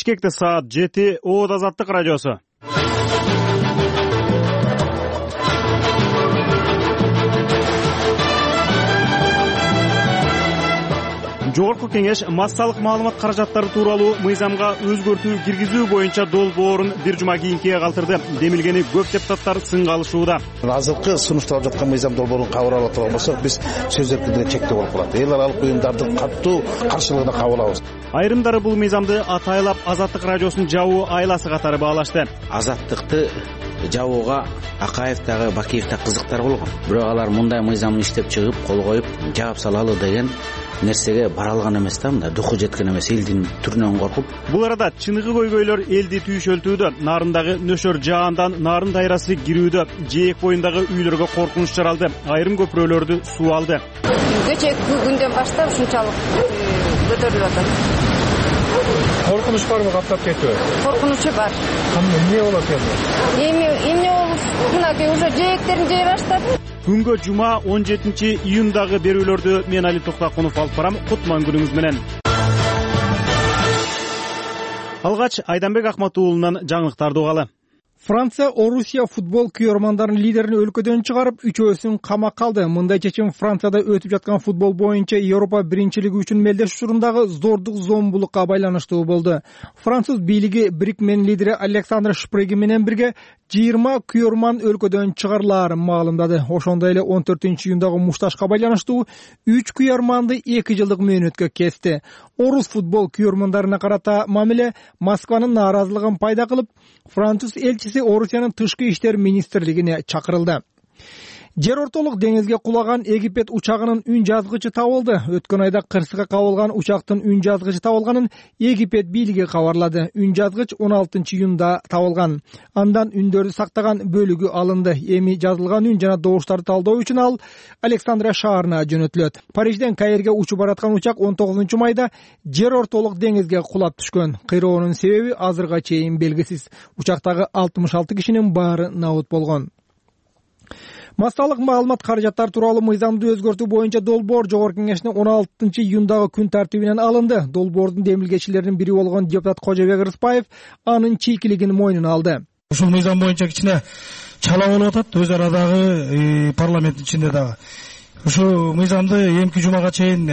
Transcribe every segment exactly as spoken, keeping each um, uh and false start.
Бишкекте саат жети. Оот Азаттык радиосу. Жогорку кеңеш массалык маалымат каражаттары тууралуу мыйзамга өзгөртүү киргизүү боюнча долбоорун бир жума кийинкиге калтырды. Демилгени көп депутаттар сынга алышууда. Азыркы сунушталып жаткан мыйзам долбоорун кабыл ала турган болсок, биз сөз эркиндигине чектөө болуп калат. Эл аралык уюмдардын катуу каршылыгына кабыл алабыз. Айрымдары бул мыйзамды атайлап Азаттык радиосунун жабуу айласы катары баалашты. Азаттыкты жабууга Акаев дагы Бакиев да кызыктар болгон. Бирок алар мындай мыйзамды иштеп чыгып, кол коюп, жаап салалы деген нерсеге бара алган эмес да, мындай духу жеткен эмес, элдин түрүнөн коркуп. Бул арада чыныгы көйгөйлөр элди түйшөлтүүдө. Нарындагы нөшөр жаандан нарын дайрасы кирүүдө, жээк боюндагы үйлөргө коркунуч жаралды. Айрым көпүрөлөрдү суу алды. Кечээки күндөн баштап ушунчалык көтөрүлүп атат. Коркунуч барбы каптап кетүү? Коркунучу бар. Эмне болот эми? Эми эмне болуп, мынакей уже жээктерин жей баштады. Күнгө жума он жетинчи июндагы берүүлөрдү мен Али Токтакунов алып барам. Кутман күнүңүз менен. Алгач Айданбек Акматуулунан жаңылыктарды угалы. Франция Орусия футбол күйөрмандарынын лидерин өлкөдөн чыгарып, үчөөсүн камакка алды. Мындай чечим Францияда өтүп жаткан футбол боюнча Европа биринчилиги үчүн мелдеш учурундагы зордук зомбулукка байланыштуу болду. Француз бийлиги Брикмен лидери Александр Шпреги менен бирге жыйырма күйөрман өлкөдөн чыгарылаарын маалымдады. Ошондой эле он төртүнчү июндагы мушташка байланыштуу үч күйөрманды эки жылдык мөөнөткө кести. Орус футбол күйөрмандарына карата мамиле Москванын нааразылыгын пайда кылып, француз элчиси Орусиянын тышкы иштер министрлигине чакырылды. Жер ортолук деңизге кулаган Египет учагынын үн жазгычы табылды. Өткөн айда кырсыга кабылган учактын үн жазгычы табылганын Египет бийлиги кабарлады. Үн жазгыч он алтынчы июнда табылган. Андан үндөрдү сактаган бөлүгү алынды. Эми жазылган үн жана добуштарды талдоо үчүн ал Александрия шаарына жөнөтүлөт. Парижден Каирге учуп бараткан учак он тогузунчу майда жер ортолук деңизге кулап түшкөн. Кыйроонун себеби азырга чейин белгисиз. Учактагы алтымыш алты кишинин баары набыт болгон. Массалык маалымат каражаттары тууралуу мыйзамды өзгөртүү боюнча долбоор Жогорку кеңештин он алтынчы июндагы күн тартибинен алынды. Долбоордун демилгечилеринин бири болгон депутат Кожобек Рыспаев анын чийкилигин мойнуна алды. Ушул мыйзам боюнча кичине чала болуп атат өз арадагы парламенттин ичинде дагы. Ушул мыйзамды эмки жумага чейин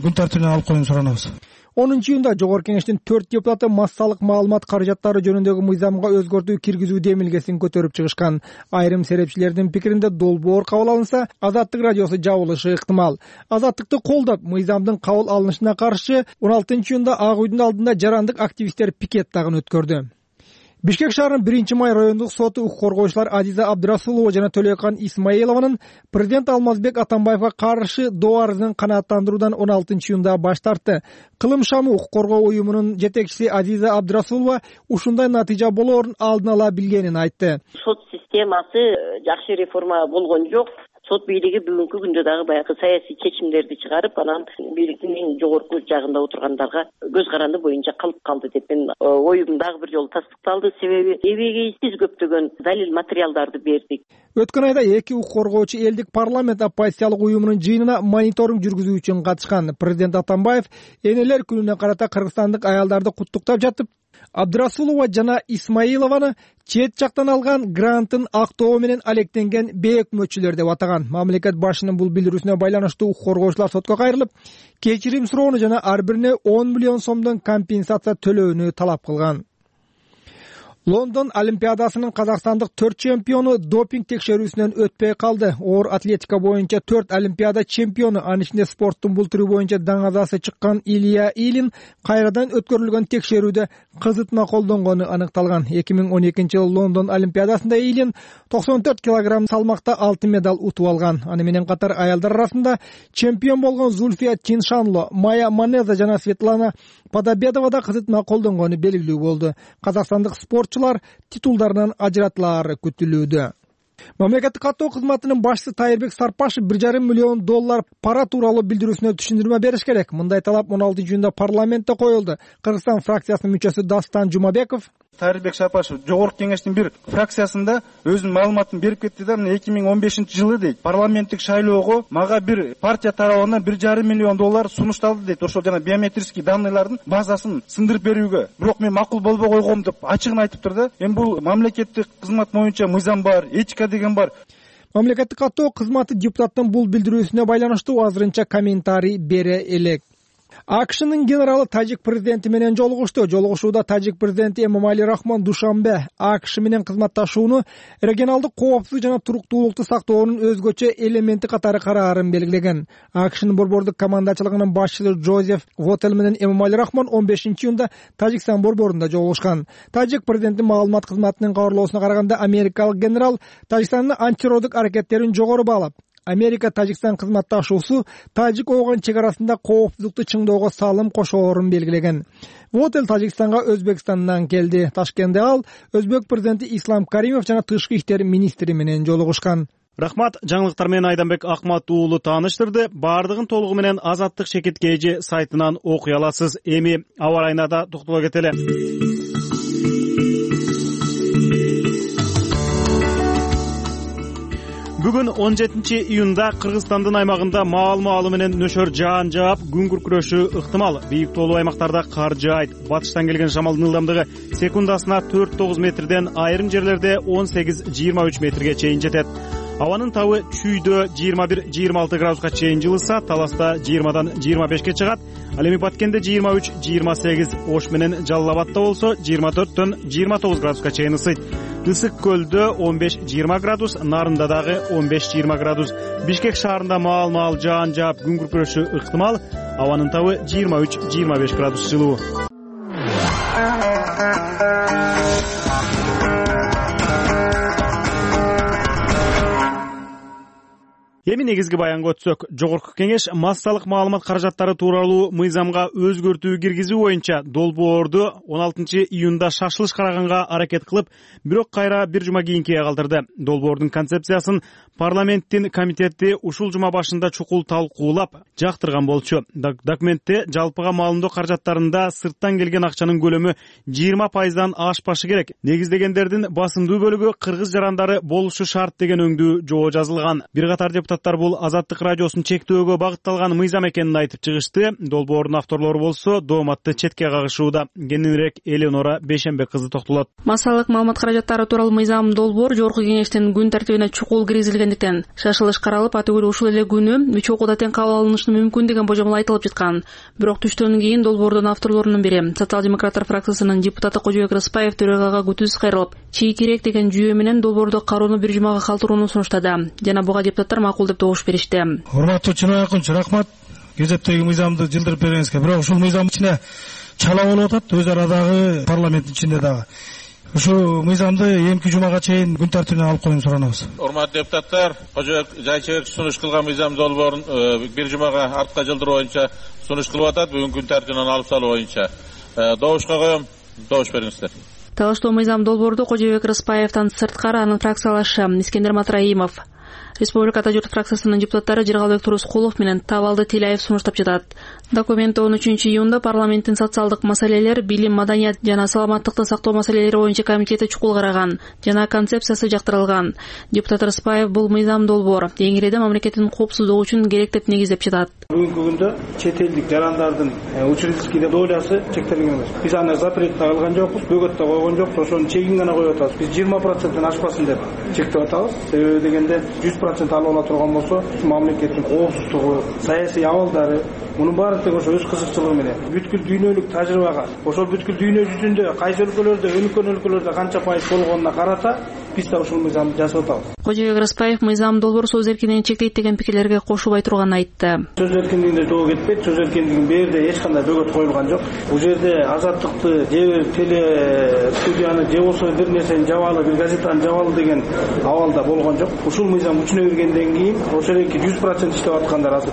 күн тартибинен алып коюуну суранабыз. онунчу июнда Жогорку кеңештин төрт депутаты массалык маалымат каражаттары жөнүндөгү мыйзамга өзгөртүү киргизүү демилгесин көтөрүп чыгышкан. Айрым серепчилердин пикиринде долбоор кабыл алынса, Азаттык радиосу жабылышы ыктымал. Азаттыкты колдоп, мыйзамдын кабыл алынышына каршы он алтынчы июнда Ак үйдүн алдында жарандык активисттер пикет дагы өткөрдү. Бишкек шаарынын биринчи май райондук соту укук коргоочулар Азиза Абдрасулова жана Төлөкан Исмаилованын президент Алмазбек Атамбаевга каршы доо арызын канааттандыруудан он алтынчы июнда баш тартты. Кылым шамы укук коргоо уюмунун жетекчиси Азиза Абдрасулова ушундай натыйжа болоорун алдын ала билгенин айтты. Сот системасы жакшы реформа болгон жок. Сот бийлиги бүгүнкү күндө дагы баягы саясий чечимдерди чыгарып, анан бийликтин эң жогорку жагында отургандарга көз каранды боюнча калып калды деп мен оюм дагы бир жолу тастыкталды. Себеби эбегейсиз көптөгөн далил материалдарды бердик. Өткөн айда эки укук коргоочу элдик парламент оппозициялык уюмунун жыйынына мониторинг жүргүзүү үчүн катышкан. Президент Атамбаев энелер күнүнө карата кыргызстандык аялдарды куттуктап жатып, Абдрасулова жана Исмаилованы чет жактан алган грантын актоо менен алектенген бейөкмөтчүлөр деп атаган. Мамлекет башчынын бул билдирүүсүнө байланыштуу укук коргоочулар сотко кайрылып, кечирим суроону жана ар бирине он миллион сомдон компенсация төлөөнү талап кылган. Лондон Олимпиадасынын казакстандык төрт чемпиону допинг текшерүүсүнөн өтпөй калды. Оор атлетика боюнча төрт Олимпиада чемпиону, анын ичинде спорттун бул түрү боюнча даңазасы чыккан Илья Илин кайрадан өткөрүлгөн текшерүүдө кызытма колдонгону аныкталган. эки миң он экинчи жылы Лондон Олимпиадасында Илин токсон төрт килограмм салмакта алтын медаль утуп алган. Аны менен катар аялдар арасында чемпион болгон Зульфия Чиншанло, Майя Манеза жана Светлана Подобедова да кызытма колдонгону белгилүү болду. Казакстандык спортчулар титулдарынан ажыратылаары күтүлүүдө. Мамлекеттик каттоо кызматынын башчысы Тайырбек Сарпашев бир жарым миллион доллар пара тууралуу билдирүүсүнө түшүндүрмө бериш керек. Мындай талап он алтынчы июнда парламентте коюлду. Кыргызстан фракциясынын мүчөсү Дастан Жумабеков Тарибек Шапашев жогорку кеңештин бир фракциясында өзүнүн маалыматын берип кетти да, эки миң он бешинчи жылы дейт, парламенттик шайлоого мага бир партия тарабынан бир жарым миллион доллар сунушталды дейт, ошол жана биометрический данныйлардын базасын сындырып берүүгө. Бирок мен макул болбой койгом деп ачыгын айтыптыр да. Эми бул мамлекеттик кызмат боюнча мыйзам бар, этика деген бар. Мамлекеттик каттоо кызматы депутаттын бул билдирүүсүнө байланыштуу азырынча комментарий бере элек. АКШнын генералы тажик президенти менен жолугушту. Жолугушууда тажик президенти Эмомали Рахмон Душанбе АКШ менен кызматташууну регионалдык коопсуздук жана туруктуулукту сактоонун өзгөчө элементи катары караарын белгилеген. АКШнын борбордук командачылыгынын башчысы Джозеф Вотел менен Эмомали Рахмон он бешинчи июнда Тажикстан борборунда жолугушкан. Тажик президентинин маалымат кызматынын кабарлоосуна караганда, америкалык генерал Тажикстандын антитеррорлук аракеттерин жогору баалап, Америка Тажикстан кызматташуусу Тажик Ооган чек арасында коопсуздукту чыңдоого салым кошоорун белгилеген. Вотел Тажикстанга Өзбекстандан келди. Ташкентте ал Өзбек президенти Ислам Каримов жана тышкы иштер министри менен жолугушкан. Рахмат. Жаңылыктар менен Айданбек Акмат уулу тааныштырды. Бардыгын толугу менен Азаттык Шекеткейжи сайтынан окуй аласыз. Эми аба ырайына да токтоло кетели. Бүгүн он жетинчи июнда Кыргызстандын аймагында маал-маалы менен нөшөр жаан жаап, күн күркүрөшү ыктымал. Бийик тоолуу аймактарда кар жаайт. Батыштан келген шамалдын ылдамдыгы секундасына төрт тогуз метрден, айрым жерлерде он сегиз жыйырма үч метрге чейин жетет. Абанын табы Чүйдө жыйырма бир жыйырма алты градуска чейин жылыса, Таласта жыйырмадан жыйырма бешке чыгат. Ал эми Баткенде жыйырма үч жыйырма сегиз, Ош менен Жалал Абадта болсо жыйырма төрттөн жыйырма тогуз градуска чейин ысыйт. Ысык көлдө он беш жыйырма градус, Нарында дагы он беш жыйырма градус. Бишкек шаарында маал-маал жаан жаап, күн күркүрөшү ыктымал. Абанын табы жыйырма үч жыйырма беш градус жылуу. Эми негизги баянга өтсөк, жогорку кеңеш массалык маалымат каражаттары тууралуу мыйзамга өзгөртүү киргизүү боюнча долбоорду он алтынчы июнда шашылыш караганга аракет кылып, бирок кайра бир жума кийинкиге калтырды. Долбоордун концепциясын парламенттин комитети ушул жума башында чукул талкуулап, жактырган болчу. Документте жалпыга маалымдоо каражаттарында сырттан келген акчанын көлөмү жыйырма пайыздан ашпашы керек. Негиздегендердин басымдуу бөлүгү кыргыз жарандары болушу шарт деген өңдүү жоо жазылган. Бир катар депутаттар бул Азаттык радиосун чектөөгө багытталган мыйзам экенин айтып чыгышты. Долбоордун авторлору болсо дооматты четке кагышууда. Кененирээк Элеонора Бейшенбек кызы токтолот. Массалык маалымат каражаттары тууралуу мыйзам долбоор жогорку кеңештин күн тартибине чукул киргизилгендиктен шашылыш каралып, атүгүл ушул эле күнү үч окууда тең кабыл алынышы мүмкүн деген божомол айтылып жаткан. Бирок түштөн кийин долбоордун авторлорунун бири, социал-демократтар фракциясынын депутаты Кожобек Рыспаев төрагага күтүүсүз кайрылып, чийкирээк деген жүйө менен долбоорду кароону бир жумага калтырууну сунуштады. Жана буга депутаттар макул деп добуш беришти. Урматтуу Чынай Акунчу, рахмат. Кезептеги мыйзамды жылдырып бергениңизге. Бирок ушул мыйзам ичине чала болуп атат, өз арадагы парламенттин ичинде дагы. Ушу мыйзамды эмки жумага чейин күн тартибине алып коюуну суранабыз. Урматтуу депутаттар, Кожобек Жайчебек сунуш кылган мыйзам долбоорун бир жумага артка жылдыруу боюнча сунуш кылып атат. Бүгүн күн тартибинен алып салуу боюнча добушка коем. Добуш бериңиздер. Талаштоо мыйзам долбоорду Кожобек Рыспаевден сырткары анын фракциялашы Искендер Матраимов, Республика Журт фракциясынын депутаттары Жыргалбек Турускулов менен Табалды Тилаев сунуштап жатат. Документте он үчүнчү июнда парламенттин социалдык маселелер, билим, маданият жана саламаттыкты сактоо маселелери боюнча комитети чукул караган жана концепциясы жактырылган. Депутат Рыспаев бул мыйзам долбоор эңиреде мамлекеттин коопсуздугу үчүн керек деп негиздеп жатат. Бүгүнкү күндө чет элдик жарандардын учредительский долясы чектелген эмес. Биз аны запрет алган жокпуз, бөгөт да койгон жокпуз, ошонун чегин гана коюп атабыз. Биз жыйырма проценттен ашпасын деп чектеп атабыз. Себеби дегенде жүз процент алып ала турган болсо, мамлекеттин коопсуздугу, саясий абалдары, мунун баары тең ошо өз кызыкчылыгы менен бүткүл дүйнөлүк тажрыйбага, ошол бүткүл дүйнө жүзүндө кайсы өлкөлөрдө, өнүккөн өлкөлөрдө канча пайыз болгонуна карата биз да ушул мыйзамды жасап атабыз. Кожобек Рыспаев мыйзам долбоор сөз эркиндигин чектейт деген пикирлерге кошулбай турганын айтты. Сөз эркиндигинде жоо кетпейт, сөз эркиндигинин берде эч кандай бөгөт коюлган жок. Бул жерде азаттыкты же теле студияны же болсо бир нерсени жабалы, бир газетаны жабалы деген абалда болгон жок. Ушул мыйзам күчүнө киргенден кийин ошол эки жүз процент иштеп аткандар азыр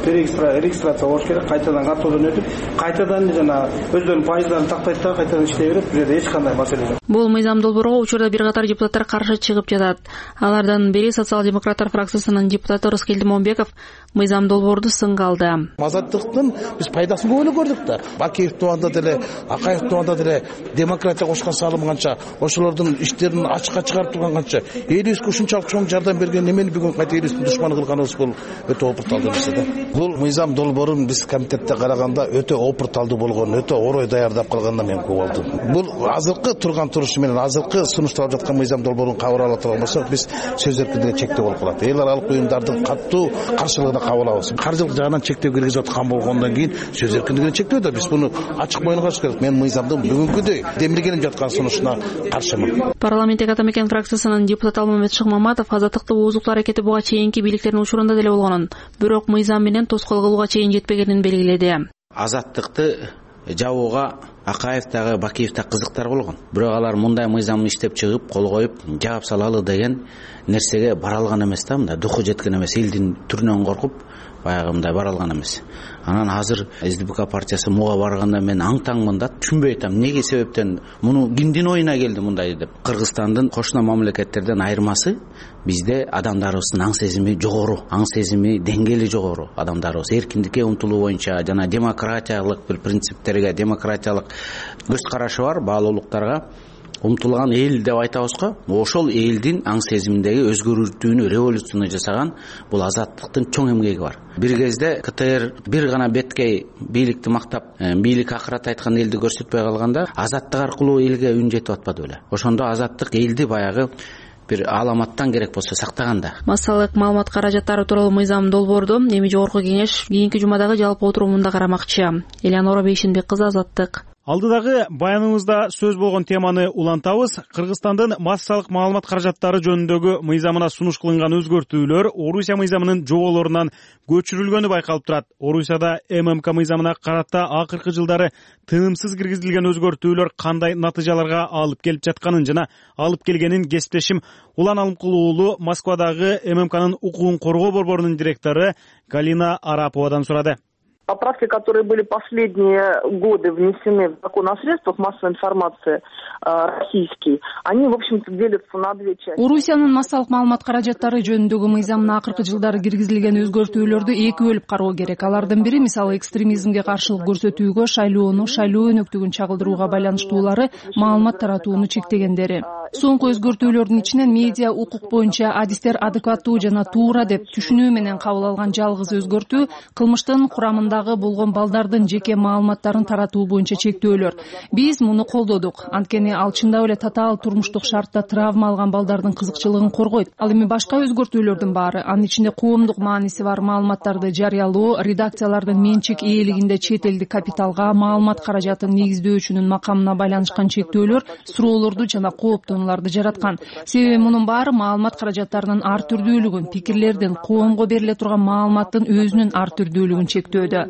регистрация болуш керек. кайтадан каттоодон өтүп кайтадан жана өздөрүнүн пайыздарын тактайт да кайтадан иштей берет. Бул жерде эч кандай маселе жок. Бул мыйзам долбоорго учурда бир катар депутаттар каршы чыгып жатат. Алардын бири социал-демократтар фракциясынын депутаты Рыскелди Момбеков мыйзам долбоорду сынга алды. Азаттыктын биз пайдасын көп эле көрдүк да. Бакиев тубанда деле, Акаев тубанда деле демократия кошкон салым канча, ошолордун иштерин ачыкка чыгарып турган канча, элибизге ушунчалык чоң жардам берген эмени бүгүн кайта элибиздин душман кылганыбыз бул өтө опурталдуу нерсе да. Бул мыйзам долбоорун биз комитетте караганда өтө опурталдуу болгон, өтө орой даярдап калгандан мен көп болдум. Бул азыркы турган турушу менен азыркы сунушталып жаткан мыйзам долбоорун кабыл ала турган болсок, биз сөз эркиндигине чектөө болуп калат. Эл аралык уюмдардын катуу каршылыгына кабыл алабыз. Каржылык жагынан чектөө киргизип аткан болгондон кийин сөз эркиндигине чектөө да биз буну ачык моюнга каршы керек. Мен мыйзамдын бүгүнкүдөй демилгенип жаткан сунушуна каршымын. Парламенттик ата мекен фракциясынын депутаты Алмамет Шыкмаматов азаттыкты оозуктуу аракети буга чейинки бийликтердин учурунда деле болгонун, бирок мыйзам менен тоскоол кылууга чейин жетпегенин белгиледи. Азаттыкты жабууга Акаев дагы Бакиев да кызыктар болгон. Бирок алар мындай мыйзамды иштеп чыгып, кол коюп, жаап салалы деген нерсеге бара алган эмес да, мындай духу жеткен эмес, элдин түрүнөн коркуп баягы мындай бара алган эмес. Анан азыр СДПК партиясы муга барганда мен аң-таңмын да, түшүнбөй атам эмнеге себептен муну кимдин оюна келди мындай деп. Кыргызстандын кошуна мамлекеттерден айырмасы бизде адамдарыбыздын аң сезими жогору, аң сезими деңгээли жогору. Адамдарыбыз эркиндикке умтулуу боюнча жана демократиялык бир принциптерге, демократиялык көз карашы бар баалуулуктарга умтулган эл деп айтабыз го. Ошол элдин аң сезиминдеги өзгөртүүнү, революцияны жасаган бул азаттыктын чоң эмгеги бар. Бир кезде КТР бир гана беткей бийликти мактап, бийлик акырат айткан элди көрсөтпөй калганда, азаттык аркылуу элге үн жетип атпады беле. Ошондо азаттык элди баягы бир аламаттан керек болсо сактаганда. Массалык маалымат каражаттары тууралуу мыйзам долбоорду эми жогорку кеңеш кийинки жумадагы жалпы отурумунда карамакчы. Элеонора Бейшенбек кызы, Азаттык. Алдыдагы баяныбызда сөз болгон теманы улантабыз. Кыргызстандын массалык маалымат каражаттары жөнүндөгү мыйзамына сунуш кылынган өзгөртүүлөр Орусия мыйзамынын жоболорунан көчүрүлгөнү байкалып турат. Орусияда ММК мыйзамына карата акыркы жылдары тынымсыз киргизилген өзгөртүүлөр кандай натыйжаларга алып келип жатканын жана алып келгенин кесиптешим Улан Алымкулуу Москвадагы ММКнын укугун коргоо борборунун директору Галина Араповадан сурады. Поправки, которые были последние годы внесены в закон о средствах массовой информации российский, они, в общем-то, делятся на две части. Орусиянын массалык маалымат каражаттары жөнүндөгү мыйзамына акыркы жылдары киргизилген өзгөртүүлөрдү эки бөлүп кароо керек. Алардын бири, мисалы, экстремизмге каршылык көрсөтүүгө, шайлоону, шайлоо өнөктүгүн чагылдырууга байланыштуулары, маалымат таратууну чектегендери. Соңку өзгөртүүлөрдүн ичинен медиа укук боюнча адистер адекваттуу жана туура деп түшүнүү менен кабыл алган жалгыз өзгөртүү кылмыштын курамындагы болгон балдардын жеке маалыматтарын таратуу боюнча чектөөлөр. Биз муну колдодук. Анткени ал чындап эле татаал турмуштук шартта травма алган балдардын кызыкчылыгын коргойт. Ал эми башка өзгөртүүлөрдүн баары, анын ичинде коомдук мааниси бар маалыматтарды жарыялоо, редакциялардын менчик ээлигинде чет элдик капиталга маалымат каражатын негиздөөчүнүн макамына байланышкан чектөөлөр суроолорду жана кооптонууларды жараткан. Себеби мунун баары маалымат каражаттарынын ар түрдүүлүгүн, пикирлердин, коомго бериле турган маалыматтын өзүнүн ар түрдүүлүгүн чектөөдө.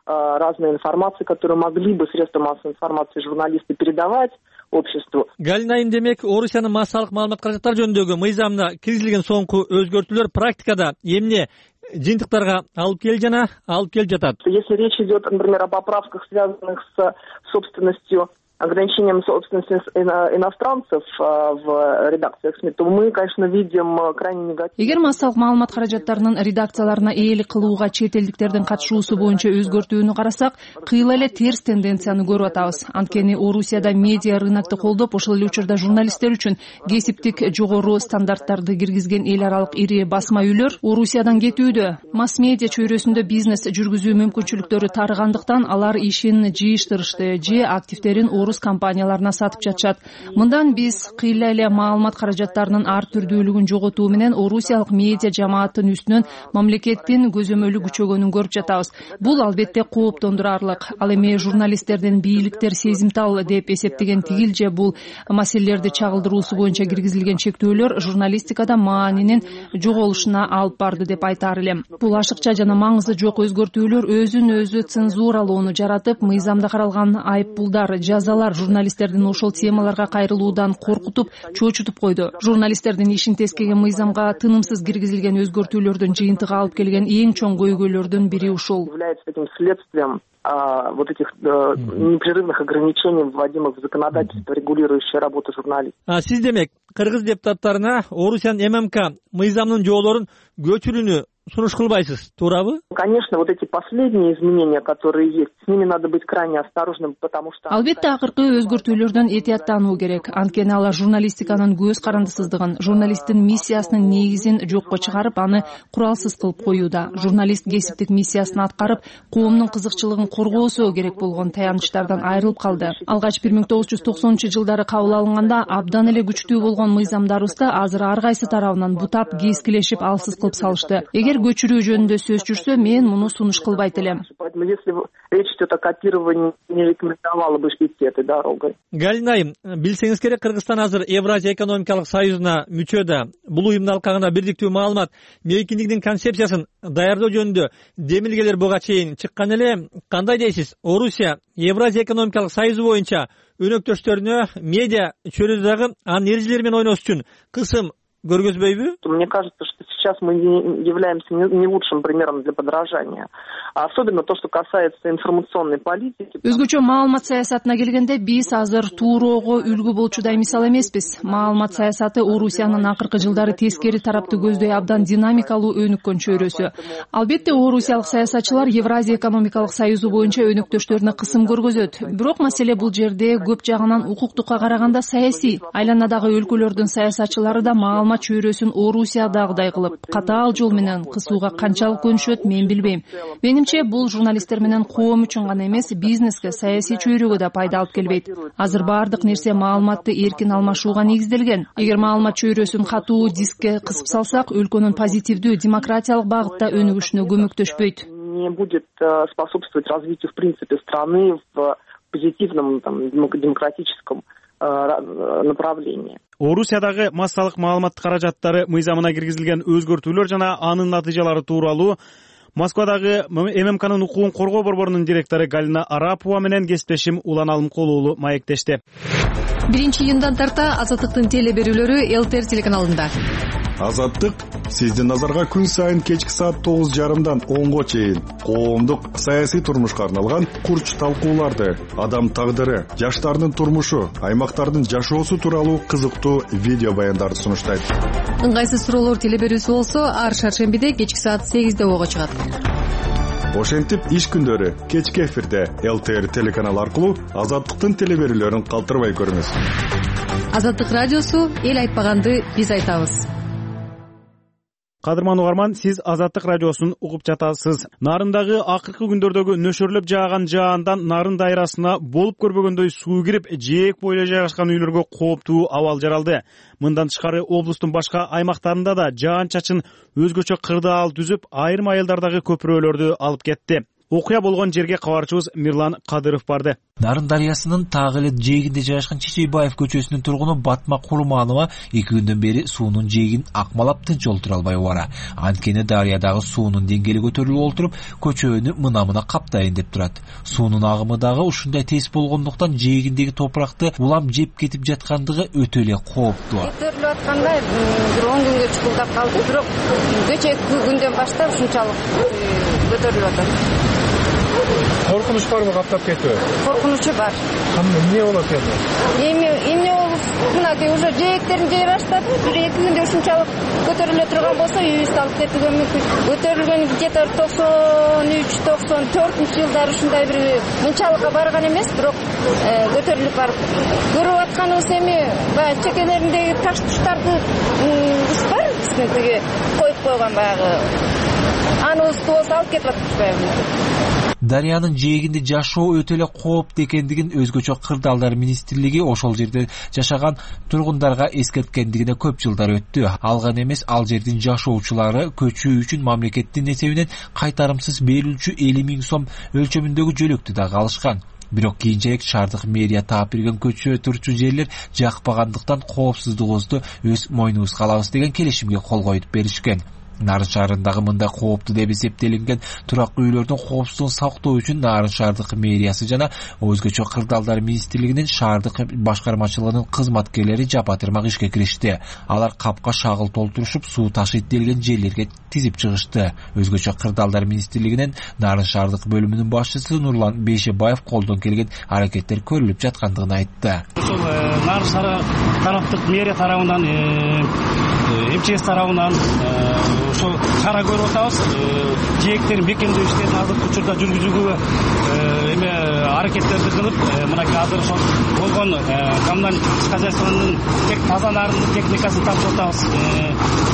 Разной информации, которые могли бы средства массовой информации журналисты передавать обществу. Галина, демек Орусиянын массалык маалымат каражаттары жөнүндөгү мыйзамына киргизилген соңку өзгөртүүлөр практикада эмне жыйынтыктарга алып келди жана алып келип жатат? Если речь идет, например, о поправках, связанных с собственностью, ограничением собственности иностранцев в редакциях СМИ, то мы, конечно, видим крайне негативно. Эгер массалык маалымат каражаттарынын редакцияларына ээлик кылууга чет элдиктердин катышуусу боюнча өзгөртүүнү карасак, кыйла эле терс тенденцияны көрүп атабыз. Анткени Орусияда медиа рынокты колдоп, ошол эле учурда журналисттер үчүн кесиптик жогору стандарттарды киргизген эл аралык ири басма үйлөр Орусиядан кетүүдө. Масс медиа чөйрөсүндө бизнес жүргүзүү мүмкүнчүлүктөрү тарыгандыктан алар ишин жыйыштырышты, же активдерин орус компанияларына сатып жатышат. Мындан биз кыйла эле маалымат каражаттарынын ар түрдүүлүгүн жоготуу менен орусиялык медиа жамааттын үстүнөн мамлекеттин көзөмөлү күчөгөнүн көрүп жатабыз. Бул албетте кооптондурарлык. Ал эми журналисттердин бийликтер сезимтал деп эсептеген тигилже бул маселелерди чагылдыруусу боюнча киргизилген чектөөлөр журналистикада маанинин жоголушуна алып барды деп айтаар элем. Бул ашыкча жана маңызы жок өзгөртүүлөр өзүн өзү цензуралоону жаратып, мыйзамда каралган айыппулдар, жазалар алар журналисттердин ошол темаларга кайрылуудан коркутуп, чочутуп койду. Журналисттердин ишин тескеген мыйзамга тынымсыз киргизилген өзгөртүүлөрдүн жыйынтыгы алып келген эң чоң көйгөйлөрдүн бири ушул. Вот этих э, непрерывных ограничений, вводимых в законодательство, регулирующее работу журналистов. А сиз демек кыргыз депутаттарына Орусиянын эм эм ка мыйзамынын жоболорун көчүрүүнү сунуш кылбайсыз, туурабы? Конечно, вот эти последние изменения, которые есть, с ними надо быть крайне осторожным, потому что... Албетте акыркы өзгөртүүлөрдөн этияттануу керек. Анткени алар журналистиканын көз карандысыздыгын, журналисттин миссиясынын негизин жокко чыгарып, аны куралсыз кылып коюуда. Журналист кесиптик миссиясын аткарып, коомдун кызыкчылыгын коргоосу керек болгон таянычтардан айрылып калды. Алгач бир миң тогуз жүз токсонунчу жылдары кабыл алынганда абдан эле күчтүү болгон мыйзамдарыбызды азыр ар кайсы тарабынан бутап, кескилешип, алсыз кылып салышты. Эгер көчүрүү жөнүндө сөз жүрсө, мен муну сунуш кылбайт элем. Если речь идет о копировании, не рекомендовала бы идти этой дорогой. Галина айым, билсеңиз керек, Кыргызстан азыр Евразия экономикалык союзуна мүчө да. Бул уюмдун алкагында бирдиктүү маалымат, мейкиндигдин концепциясын даярдоо жөнүндө демилгелер буга чейин чыккан эле. Кандай дейсиз? Орусия Евразия экономикалык союзу боюнча өнөктөштөрүнө медиа чөйрөдө дагы анын эрежелери менен ойнош үчүн кысым көргөзбөйбү? Мне кажется, что сейчас мы не являемся не лучшим примером для подражания. Особенно то, что касается информационной политики. Өзгөчө маалымат саясатына келгенде биз азыр тууроого үлгү болчудай мисал эмеспиз. Маалымат саясаты Орусиянын акыркы жылдары тескери тарапты көздөй абдан динамикалуу өнүккөн чөйрөсү. Албетте орусиялык саясатчылар Евразия экономикалык союзу боюнча өнөктөштөрүнө кысым көргөзөт. Бирок маселе бул жерде көп жагынан укуктукка караганда саясий. Айланадагы өлкөлөрдүн саясатчылары да маалымат чөйрөсүн Орусиядагыдай кылып, катаал жол менен кысууга канчалык көнүшөт, мен билбейм. Менимче, бул журналисттер менен коом үчүн гана эмес, бизнеске, саясий чөйрөгө да пайда алып келбейт. Азыр баардык нерсе маалыматты эркин алмашууга негизделген. Эгер маалымат чөйрөсүн катуу дискке кысып салсак, өлкөнүн позитивдүү демократиялык багытта өнүгүшүнө көмөктөшпөйт. Не будет способствовать развитию, в принципе, страны в позитивном, там, демократическом направлении. Орусиядагы массалык маалымат каражаттары мыйзамына киргизилген өзгөртүүлөр жана анын натыйжалары тууралуу Москвадагы эм эм канын укугун коргоо борборунун директору Галина Арапова менен кесиптешим Улан Алымкулуулу маектешти. биринчи июндан тарта Азаттыктын теле берүүлөрү эл тэ эр телеканалында. Азаттык сиздин назарга күн сайын кечки саат тогуз жарымдан онго чейин коомдук саясий турмушка арналган курч талкууларды, адам тагдыры, жаштардын турмушу, аймактардын жашоосу тууралуу кызыктуу видео баяндарды сунуштайт. Ыңгайсыз суроолор теле берүүсү болсо, ар шаршембиде кечки саат сегизде ого чыгат. Ошентип иш күндөрү кечки эфирде эл тэ эр телеканалы аркылуу Азаттыктын теле берүүлөрүн калтырбай көрүңүз. Азаттык радиосу эл айтпаганды биз айтабыз. Кадырман угарман, сиз Азаттык радиосун угуп жатасыз. Нарындагы акыркы күндөрдөгү нөшөрлөп жааган жаандан нарын дайрасына болуп көрбөгөндөй суу кирип, жээк бойлой жайгашкан үйлөргө кооптуу абал жаралды. Мындан тышкары облустун башка аймактарында да жаан-чачын өзгөчө кырдаал түзүп, айрым айылдардагы көпүрөлөрдү алып кетти. Окуя болгон жерге кабарчыбыз Мирлан Кадыров барды. Нарын дарыясынын так эле жээгинде жайгашкан Чечейбаев көчөсүнүн тургуну Батма Курманова эки күндөн бери суунун жээгин акмалап тынч олтура албай бара. Анткени дарыядагы суунун деңгээли көтөрүлүп олтуруп, көчөнү мына-мына каптайын деп турат. Суунун агымы дагы ушундай тез болгондуктан жээгиндеги топуракты улам жеп кетип жаткандыгы өтө эле кооптуу. Көтөрүлүп атканда бир он күнгө чукулдап калды, бирок кечээ күндөн баштап ушунчалык көтөрүлүп атат. Коркунуч барбы каптап кетүү? Коркунучу бар. Эмне болот эми? Эми эмне болуп, мынакей уже жээктерин жей баштады. Бир эки күндө ушунчалык көтөрүлө турган болсо, үйүбүздү алып кетүүгө мүмкүн. Көтөрүлгөн где-то токсон үч токсон төртүнчү жылдары ушундай бир мынчалыкка барган эмес, бирок көтөрүлүп барып. Көрүп атканыбыз эми баягы чекелериндеги таш туштарды бар, тиги коюп койгон баягы. Аныбызды болсо алып кетип атышпайбы. Дарыянын жээгинде жашоо өтө эле кооптуу экендигин өзгөчө кырдаалдар министрлиги ошол жерде жашаган тургундарга эскерткендигине көп жылдар өттү. Алган эмес, ал жердин жашоочулары көчүү үчүн мамлекеттин эсебинен кайтарымсыз берилчү элүү миң сом өлчөмүндөгү жөлөктү дагы алышкан. Бирок кийинчерээк шаардык мэрия таап берген көчө турчу жерлер жакпагандыктан коопсуздугубузду өз мойнубузга алабыз деген келишимге кол коюп беришкен. Нарын шаарындагы мындай кооптуу деп эсептелинген турак үйлөрдүн коопсуздугун сактоо үчүн Нарын шаардык мэриясы жана өзгөчө кырдаалдар министрлигинин шаардык башкармачылыгынын кызматкерлери жапа-тырмак ишке киришти. Алар капка шагыл толтурушуп, суу ташыйт делген жерлерге тизип чыгышты. Өзгөчө кырдаалдар министрлигинин Нарын шаардык бөлүмүнүн башчысы Нурлан Бейшебаев колдон келген аракеттер көрүлүп жаткандыгын айтты. Ошол Нарын шаары тараптык мэрия тарабынан, МЧС тарабынан ошол кара көрүп атабыз. Жээктерин бекемдөө иштерин азыркы учурда жүргүзүүгө эме аракеттерди кылып, мынакей азыр ошол болгон коммуналдык хозяйствонун тек таза нарын техникасын тапшырып атабыз.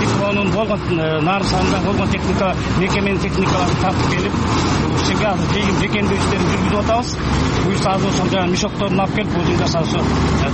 Дипломун болгон Нарын шаарында болгон техника, мекеменин техникаларын тартып келип, ушул жерге азыр бекемдөө иштерин жүргүзүп атабыз. Буюрса азыр ошол жана мешокторун алып келип, бул жерде ошо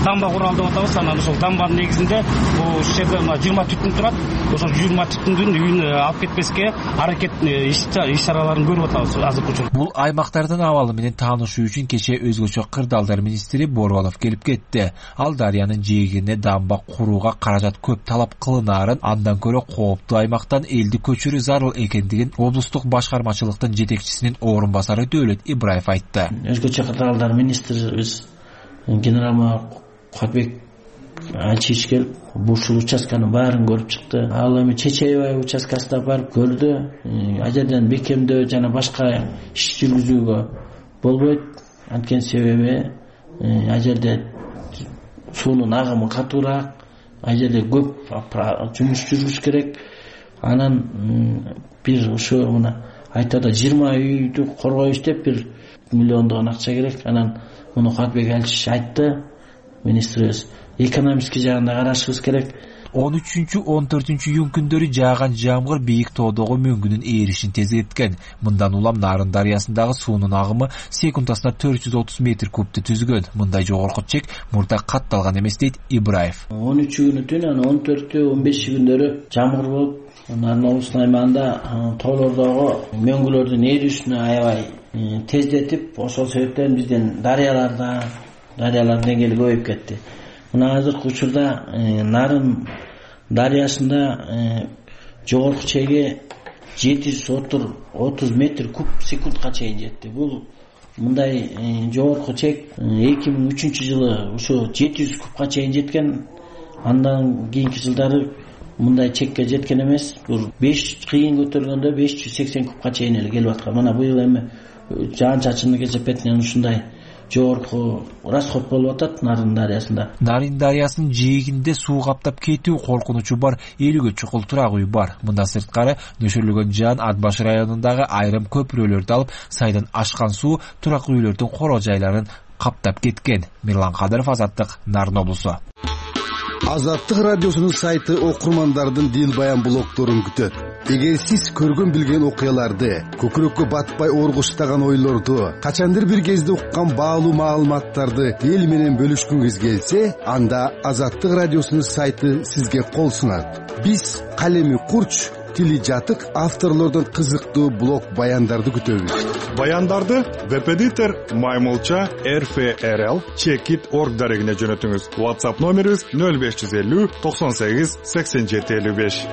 дамба куралдап атабыз. Анан ошол дамбанын негизинде ушул жерде жыйырма түтүн турат. Ошол жыйырма түтүндүн үйүн алып кетпеске аракет иш-чараларын көрүп атабыз азыркы учурда. Бул аймактардын абалы менен таанышуу үчүн кече өзгөчө кырдаалдар министри Борбалов келип кетти. Ал Дарыянын жээгине дамба курууга каражат көп талап кылынаарын, андан көрө кооптуу аймактан элди көчүрүү зарыл экендигин облустук башкармачылыктын жетекчисинин орун басары Дөөлөт Ибраев айтты. Өзгөчө кырдаалдар министрибиз генерал Куатбек Ачич келип, ушул участканын баарын көрүп чыкты. Ал эми Чечебай участкасына барып көрдү. А жерден бекемдөө жана башка иш жүргүзүүгө болбойт. Анткени себеби а жерде суунун агымы катуураак, а жерде көп жумуш жүргүзүш керек. Анан бир ошо мына айтады жыйырма үйдү коргойбуз деп бир миллиондогон акча керек. Анан муну Куатбек Ачич айтты. Министрибиз экономический жагында карашыбыз керек. он үчүнчү он төртүнчү июнь күндөрү жааган жамгыр бийик тоодогу мөңгүнүн ээришин тездеткен. Мындан улам Нарын дарыясындагы суунун агымы секундасына төрт жүз отуз метр кубту түзгөн. Мындай жогорку чек мурда катталган эмес дейт Ибраев. он үчү күнү түн, анан он төртү он беши күндөрү жамгыр болуп, Нарын облусунун аймагында тоолордогу мөңгүлөрдүн ээришини аябай тездетип, ошол себептен бизден дарыяларда дарыялардын деңгээли көбөйүп кетти. Мына азыркы учурда Нарын дарыясында жогорку чеги жети жүз отуз метр куб секундка чейин жетти. Бул мындай жогорку чек эки миң үчүнчү жылы ошо жети жүз кубка чейин жеткен. Андан кийинки жылдары мындай чекке жеткен эмес. Бул беш кыйын көтөргөндө беш жүз сексен кубка чейин эле келип аткан. Мына быйыл эми жаан-чачындын кесепетинен ушундай жогорку расход болуп атат Нарын дарыясында. Нарын дарыясынын жээгинде суу каптап кетүү коркунучу бар элүүгө чукул турак үй бар. Мындан сырткары нөшөрлөгөн жаан Ат баш районундагы айрым көпүрөлөрдү алып, сайдан ашкан суу турак үйлөрдүн коро жайларын каптап кеткен. Мирлан Кадыров, Азаттык, Нарын облусу. Азаттык радиосунун сайты окурмандардын дил баян блогдорун күтөт. Эгер сиз көргөн билген окуяларды, көкүрөккө батпай оргуштаган ойлорду, качандыр бир кезде уккан баалуу маалыматтарды эл менен бөлүшкүңүз келсе, анда Азаттык радиосунун сайты сизге кол сунат. Биз калеми курч, тили жатык авторлордон кызыктуу блог баяндарды күтөбүз. Баяндарды веб-эдитор Маймулча эр эф эр эл чекит точка орг дарегине жөнөтүңүз. WhatsApp номерибиз нөл беш жүз элүү токсон сегиз сексен жети элүү беш.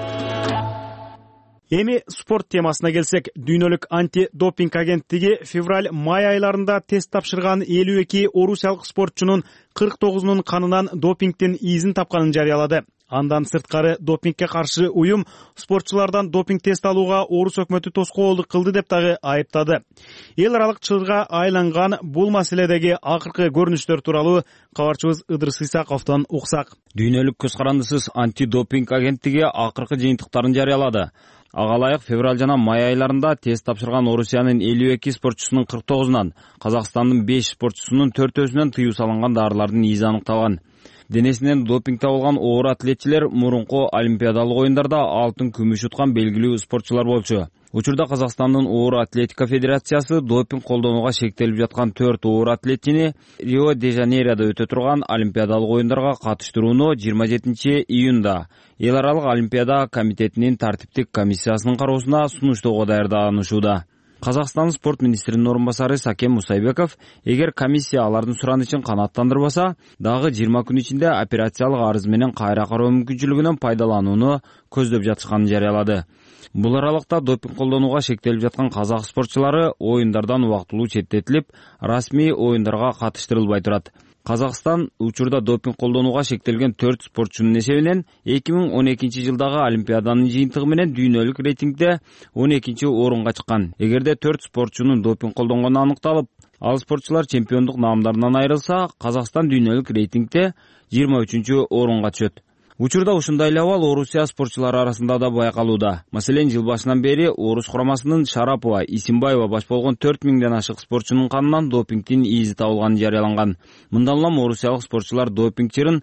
Эми спорт темасына келсек, дүйнөлүк антидопинг агенттиги февраль-май айларында тест тапшырган элүү эки орусиялык спортчунун кырк тогузунун канынан допингдин изин тапканын жарыялады. Андан сырткары допингге каршы уюм спортчулардан допинг тест алууга Орус өкмөтү тоскоолдук кылды деп дагы айыптады. Эл аралык чырга айланган бул маселедеги акыркы көрүнүштөр тууралуу кабарчыбыз Ыдырыс Исаковдон уксак. Дүйнөлүк көз карандысыз антидопинг агенттиги акыркы жыйынтыктарын жарыялады. Ага ылайык февраль жана май айларында тест тапшырган Орусиянын элүү эки спортчусунун кырк тогузунан, Казакстандын беш спортчусунун төртөөсүнөн тыюу салынган даарылардын изи аныкталган. Денесинен допинг табылган оор атлетчилер мурунку олимпиадалык оюндарда алтын, күмүш уткан белгилүү спортчулар болчу. Учурда Казакстандын оор атлетика федерациясы допинг колдонууга шектелип жаткан төрт оор атлетчини Рио-де-Жанейрода өтө турган олимпиадалык оюндарга катыштырууну жыйырма жетинчи июнда Эл аралык олимпиада комитетинин тартиптик комиссиясынын кароосуна сунуштоого даярданышууда. Казакстан спорт министринин орун басары Сакен Мусайбеков, эгер комиссия алардын суранычын канааттандырбаса, дагы жыйырма күн ичинде операциялык арыз менен кайра кароо мүмкүнчүлүгүнөн пайдаланууну көздөп жатышканын жарыялады. Бул аралыкта допинг колдонууга шектелип жаткан казак спортчулары оюндардан убактылуу четтетилип, расмий оюндарга катыштырылбай турат. Казакстан учурда допинг колдонууга шектелген төрт спортчунун эсебинен эки миң он экинчи жылдагы Олимпиаданын жыйынтыгы менен дүйнөлүк рейтингде он экинчи орунга чыккан. Эгерде төрт спортчунун допинг колдонгону аныкталып, ал спортчулар чемпиондук наамдарынан айрылса, Казакстан дүйнөлүк рейтингде жыйырма үчүнчү орунга түшөт. Учурда ушундай эле абал Орусия спортчулары арасында да байкалууда. Маселен, жыл башынан бери Орус курамасынын Шарапова, Исимбаева баш болгон төрт миңден ашык спортчунун канынан допингдин изи табылганы жарыяланган. Мындан улам орусиялык спортчулар допинг чырын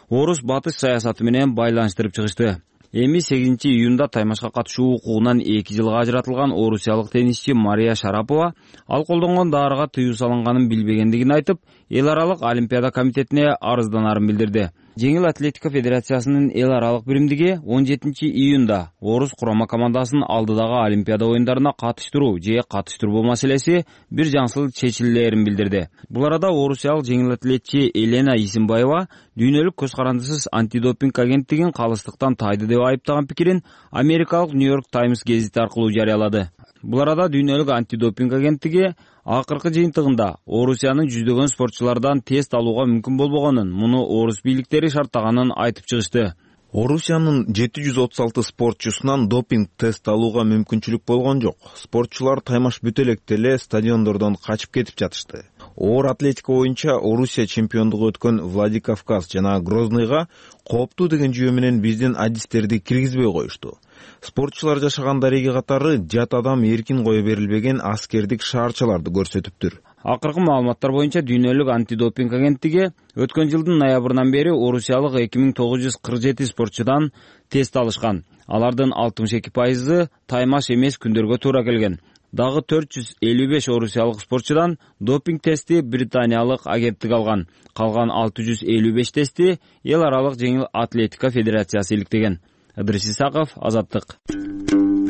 Орус батыш саясаты менен байланыштырып чыгышты. Эми сегизинчи июнда таймашка катышуу укугунан эки жылга ажыратылган орусиялык теннисчи Мария Шарапова ал колдонгон дарыга тыюу салынганын билбегендигин айтып, эл аралык Олимпиада комитетине арызданарын билдирди. Жеңил атлетика федерациясынын эл аралык биримдиги он жетинчи июнда Орус курама командасын алдыдагы Олимпиада оюндарына катыштыруу же катыштырбоо маселеси бир жаңсыз чечилээрин билдирди. Бул арада орусиялык жеңил атлетчи Елена Исимбаева дүйнөлүк көз карандысыз антидопинг агенттигин калыстыктан тайды деп айыптаган пикирин америкалык Нью-Йорк Таймс гезити аркылуу жарыялады. Бул арада дүйнөлүк антидопинг агенттиги акыркы жыйынтыгында Орусиянын жүздөгөн спортчулардан тест алууга мүмкүн болбогонун, муну орус бийликтери шарттаганын айтып чыгышты. Орусиянын жети жүз отуз алты спортчусунан допинг тест алууга мүмкүнчүлүк болгон жок. Спортчулар таймаш бүтө электе эле стадиондордон качып кетип жатышты. Оор атлетика боюнча Орусия чемпиондугу өткөн Владикавказ жана Грозныйга кооптуу деген жүйө менен биздин адистерди киргизбей коюшту. Спортчулар жашаган дареги катары жат адам эркин кое берилбеген аскердик шаарчаларды көрсөтүптүр. Акыркы маалыматтар боюнча дүйнөлүк антидопинг агенттиги өткөн жылдын ноябрынан бери орусиялык эки миң тогуз жүз кырк жети спортчудан тест алышкан. Алардын алтымыш эки пайызы таймаш эмес күндөргө туура келген. Дагы төрт жүз элүү беш орусиялык спортчудан допинг тести британиялык агенттик алган. Калган алты жүз элүү беш тести эл аралык жеңил атлетика федерациясы иликтеген. Ыдырыс Исаков, Азаттык.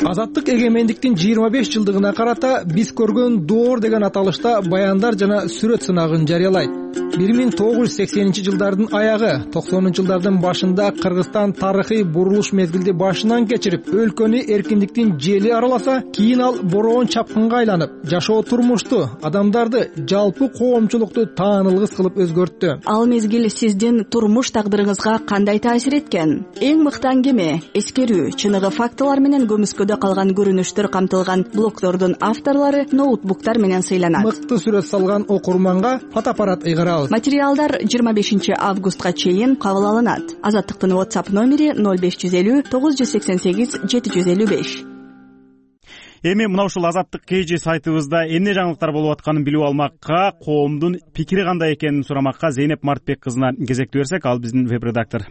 Азаттык эгемендиктин жыйырма беш жылдыгына карата биз көргөн доор деген аталышта баяндар жана сүрөт сынагын жарыялайт. бир миң тогуз жүз сексенинчи жылдардын аягы, токсонунчу жылдардын башында Кыргызстан тарыхый бурулуш мезгилди башынан кечирип, өлкөнү эркиндиктин жели араласа, кийин ал бороон чапкынга айланып, жашоо турмушту, адамдарды, жалпы коомчулукту таанылгыс кылып өзгөрттү. Ал мезгил сиздин турмуш тагдырыңызга кандай таасир эткен? Эң мыкты аңгеме, эскерүү, чыныгы фактылар менен көмүскөдө калган көрүнүштөр камтылган блогдордун авторлору ноутбуктар менен сыйланат. Мыкты сүрөт салган окурманга фотоаппарат ыйгарабыз. Материалдар жыйырма бешинчи августка чейин кабыл алынат. Азаттыктын WhatsApp номери ноль беш жүз элүү тогуз жүз сексен сегиз жети жүз элүү беш. Эми мына ушул Азаттык кж сайтыбызда эмне жаңылыктар болуп атканын билип алмакка, коомдун пикири кандай экенин сурамакка Зейнеп Мартбек кызына кезектүү берсек, ал биздин веб-редактор.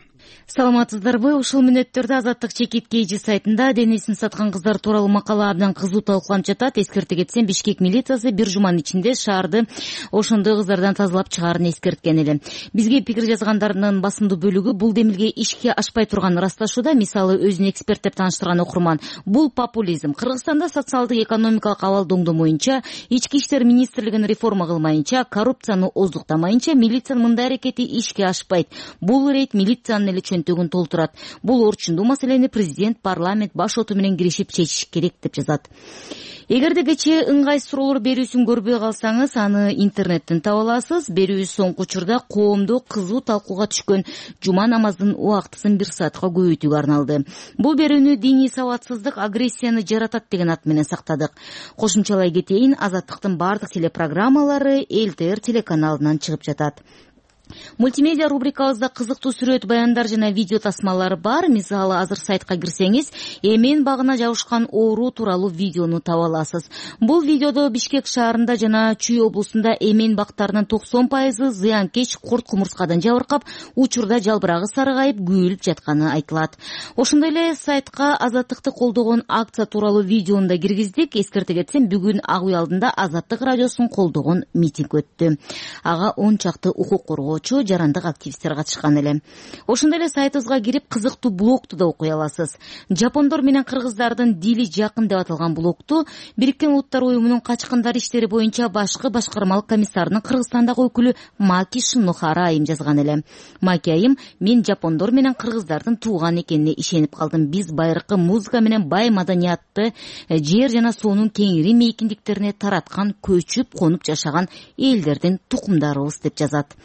Саламатсыздарбы? Ушул мүнөттөрдө Азаттык чекит кж сайтында денесин саткан кыздар тууралуу макала абдан кызуу талкууланып жатат. Эскерте кетсем, Бишкек милициясы бир жуманын ичинде шаарды ошондой кыздардан тазалап чыгаарын эскерткен эле. Бизге пикир жазгандардын басымдуу бөлүгү бул демилге ишке ашпай турганын ырасташууда. Мисалы, өзүн эксперт деп тааныштырган окурман, бул популизм. Кыргызстанда социалдык экономикалык абал доңдомоюнча, ички иштер министрлигин реформа кылмайынча, коррупцияны оздуктамайынча милициянын мындай аракети ишке ашпайт. Бул рейд милициянын эле чөнтөгүн толтурат. Бул орчундуу маселени президент, парламент баш оту менен киришип чечиш керек деп жазат. Эгерде кечээ ыңгай суроолор берүүсүн көрбөй калсаңыз, аны интернеттен таба аласыз. Берүүбүз соңку учурда коомдо кызуу талкууга түшкөн жума намазынын убактысын бир саатка көбөйтүүгө арналды. Бул берүүнү диний сабатсыздык агрессияны жаратат деген ат менен сактадык. Кошумчалай кетейин, Азаттыктын бардык телепрограммалары Эл Тэ Эр телеканалынан чыгып жатат. Мультимедиа рубрикабызда кызыктуу сүрөт, баяндар жана видео тасмалар бар. Мисалы, азыр сайтка кирсеңиз, эмен багына жабышкан оору тууралуу видеону таба аласыз. Бул видеодо Бишкек шаарында жана Чүй облусунда эмен бактарынын токсон пайызы зыянкеч курт кумурскадан жабыркап, учурда жалбырагы сарыгайып, күйүлүп жатканы айтылат. Ошондой эле сайтка Азаттыкты колдогон акция тууралуу видеону да киргиздик. Эскерте кетсем, бүгүн Ак Үй алдында Азаттык радиосун колдогон митинг өттү. Ага он чакты укук коргоо коргоочу, жарандык активисттер катышкан эле. Ошондой эле сайтыбызга кирип кызыктуу блогту да окуй аласыз. Жапондор менен кыргыздардын дили жакын деп аталган блогту Бириккен Улуттар уюмунун качкындар иштери боюнча башкы башкармалык комиссарынын Кыргызстандагы өкүлү Маки Шинохара айым жазган эле. Маки айым: мен жапондор менен кыргыздардын тууган экенине ишенип калдым. Биз байыркы музыка менен бай маданиятты, жер жана суунун кеңири мейкиндиктерине тараткан, көчүп конуп жашаган элдердин тукумдарыбыз деп жазат.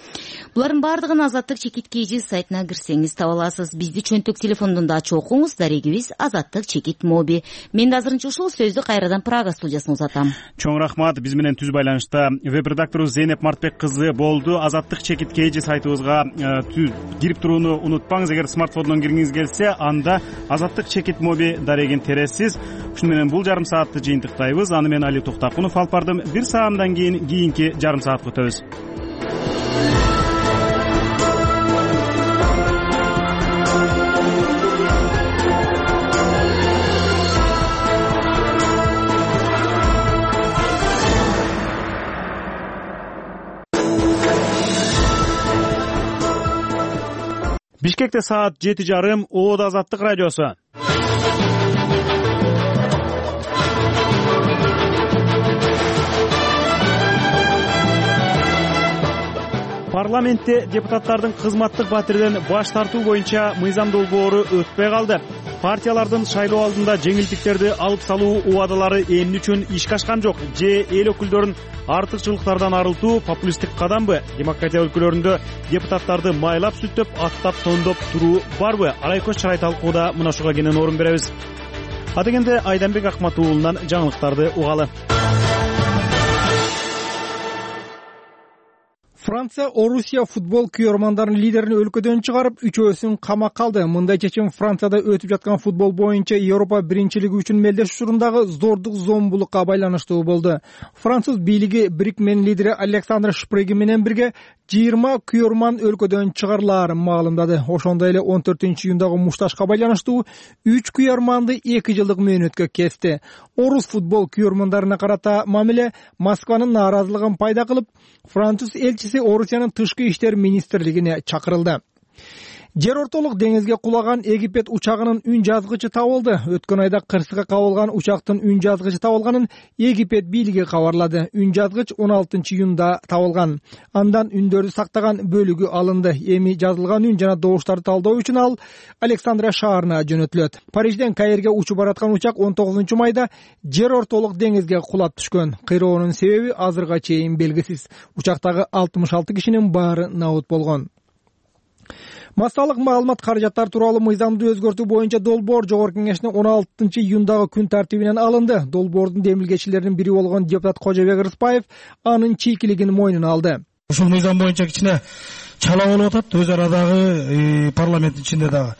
Булардын баардыгын Азаттык чекит kg сайтына кирсеңиз таба аласыз. Бизди чөнтөк телефондон да ачып окуңуз. Дарегибиз Азаттык чекит моби. Мен да азырынча ушул сөздү кайрадан Прага студиясына узатам. Чоң рахмат. Биз менен түз байланышта веб-редакторубуз Зейнеп Мартбек кызы болду. Азаттык чекит kg сайтыбызга кирип турууну унутпаңыз. Эгер смартфондон киргиңиз келсе, анда Азаттык чекит моби дарегин тересиз. Ушуну менен бул жарым саатты жыйынтыктайбыз. Аны мен Али Токтакунов алып бардым. Бир саамдан кийин кийинки жарым саатка өтөбүз. Бишкекте саат жети жарым. Оодо Азаттык радиосу. Парламентте депутаттардын кызматтык батирден баш тартуу боюнча мыйзам долбоору өтпөй калды. Партиялардын шайлоо алдында жеңилдиктерди алып салуу убадалары эмне үчүн ишке ашкан жок? Же эл өкүлдөрүн артыкчылыктардан арылтуу популисттик кадамбы? Демократия өлкөлөрүндө депутаттарды майлап сүттөп, аттап тондоп туруу барбы? Арай көз чарай талкууда мына ушуга кенен орун беребиз. Адегенде Айданбек Акмат уулунан жаңылыктарды угалы. Франция Орусия футбол күйөрмандарынын лидерин өлкөдөн чыгарып, үчөөсүн камакка алды. Мындай чечим Францияда өтүп жаткан футбол боюнча Европа биринчилиги үчүн мелдеш учурундагы зордук зомбулукка байланыштуу болду. Француз бийлиги Брикмен лидери Александр Шпреги менен бирге жыйырма күйөрман өлкөдөн чыгарылаарын маалымдады. Ошондой эле он төртүнчү июндагы мушташка байланыштуу үч күйөрманды эки жылдык мөөнөткө кести. Орус футбол күйөрмандарына карата мамиле Москванын нааразылыгын пайда кылып, француз элчиси Орусиянын тышкы иштер министрлигине чакырылды. Жер ортолук деңизге кулаган Египет учагынын үн жазгычы табылды. Өткөн айда кырсыкка кабылган учактын үн жазгычы табылганын Египет бийлиги кабарлады. Үн жазгыч он алтынчы июнда табылган. Андан үндөрдү сактаган бөлүгү алынды. Эми жазылган үн жана добуштарды талдоо үчүн ал Александрия шаарына жөнөтүлөт. Парижден Каирге учуп бараткан учак он тогузунчу майда жер ортолук деңизге кулап түшкөн. Кыйроонун себеби азырга чейин белгисиз. Учактагы алтымыш алты кишинин баары набыт болгон. Массалык маалымат каражаттар тууралуу мыйзамды өзгөртүү боюнча долбоор Жогорку Кеңештин он алтынчы июндагы күн тартибинен алынды. Долбоордун демилгечилеринин бири болгон депутат Кожобек Рыспаев анын чийкилигин мойнуна алды. Ушул мыйзам боюнча кичине чала болуп атат өз арадагы парламенттин ичинде дагы.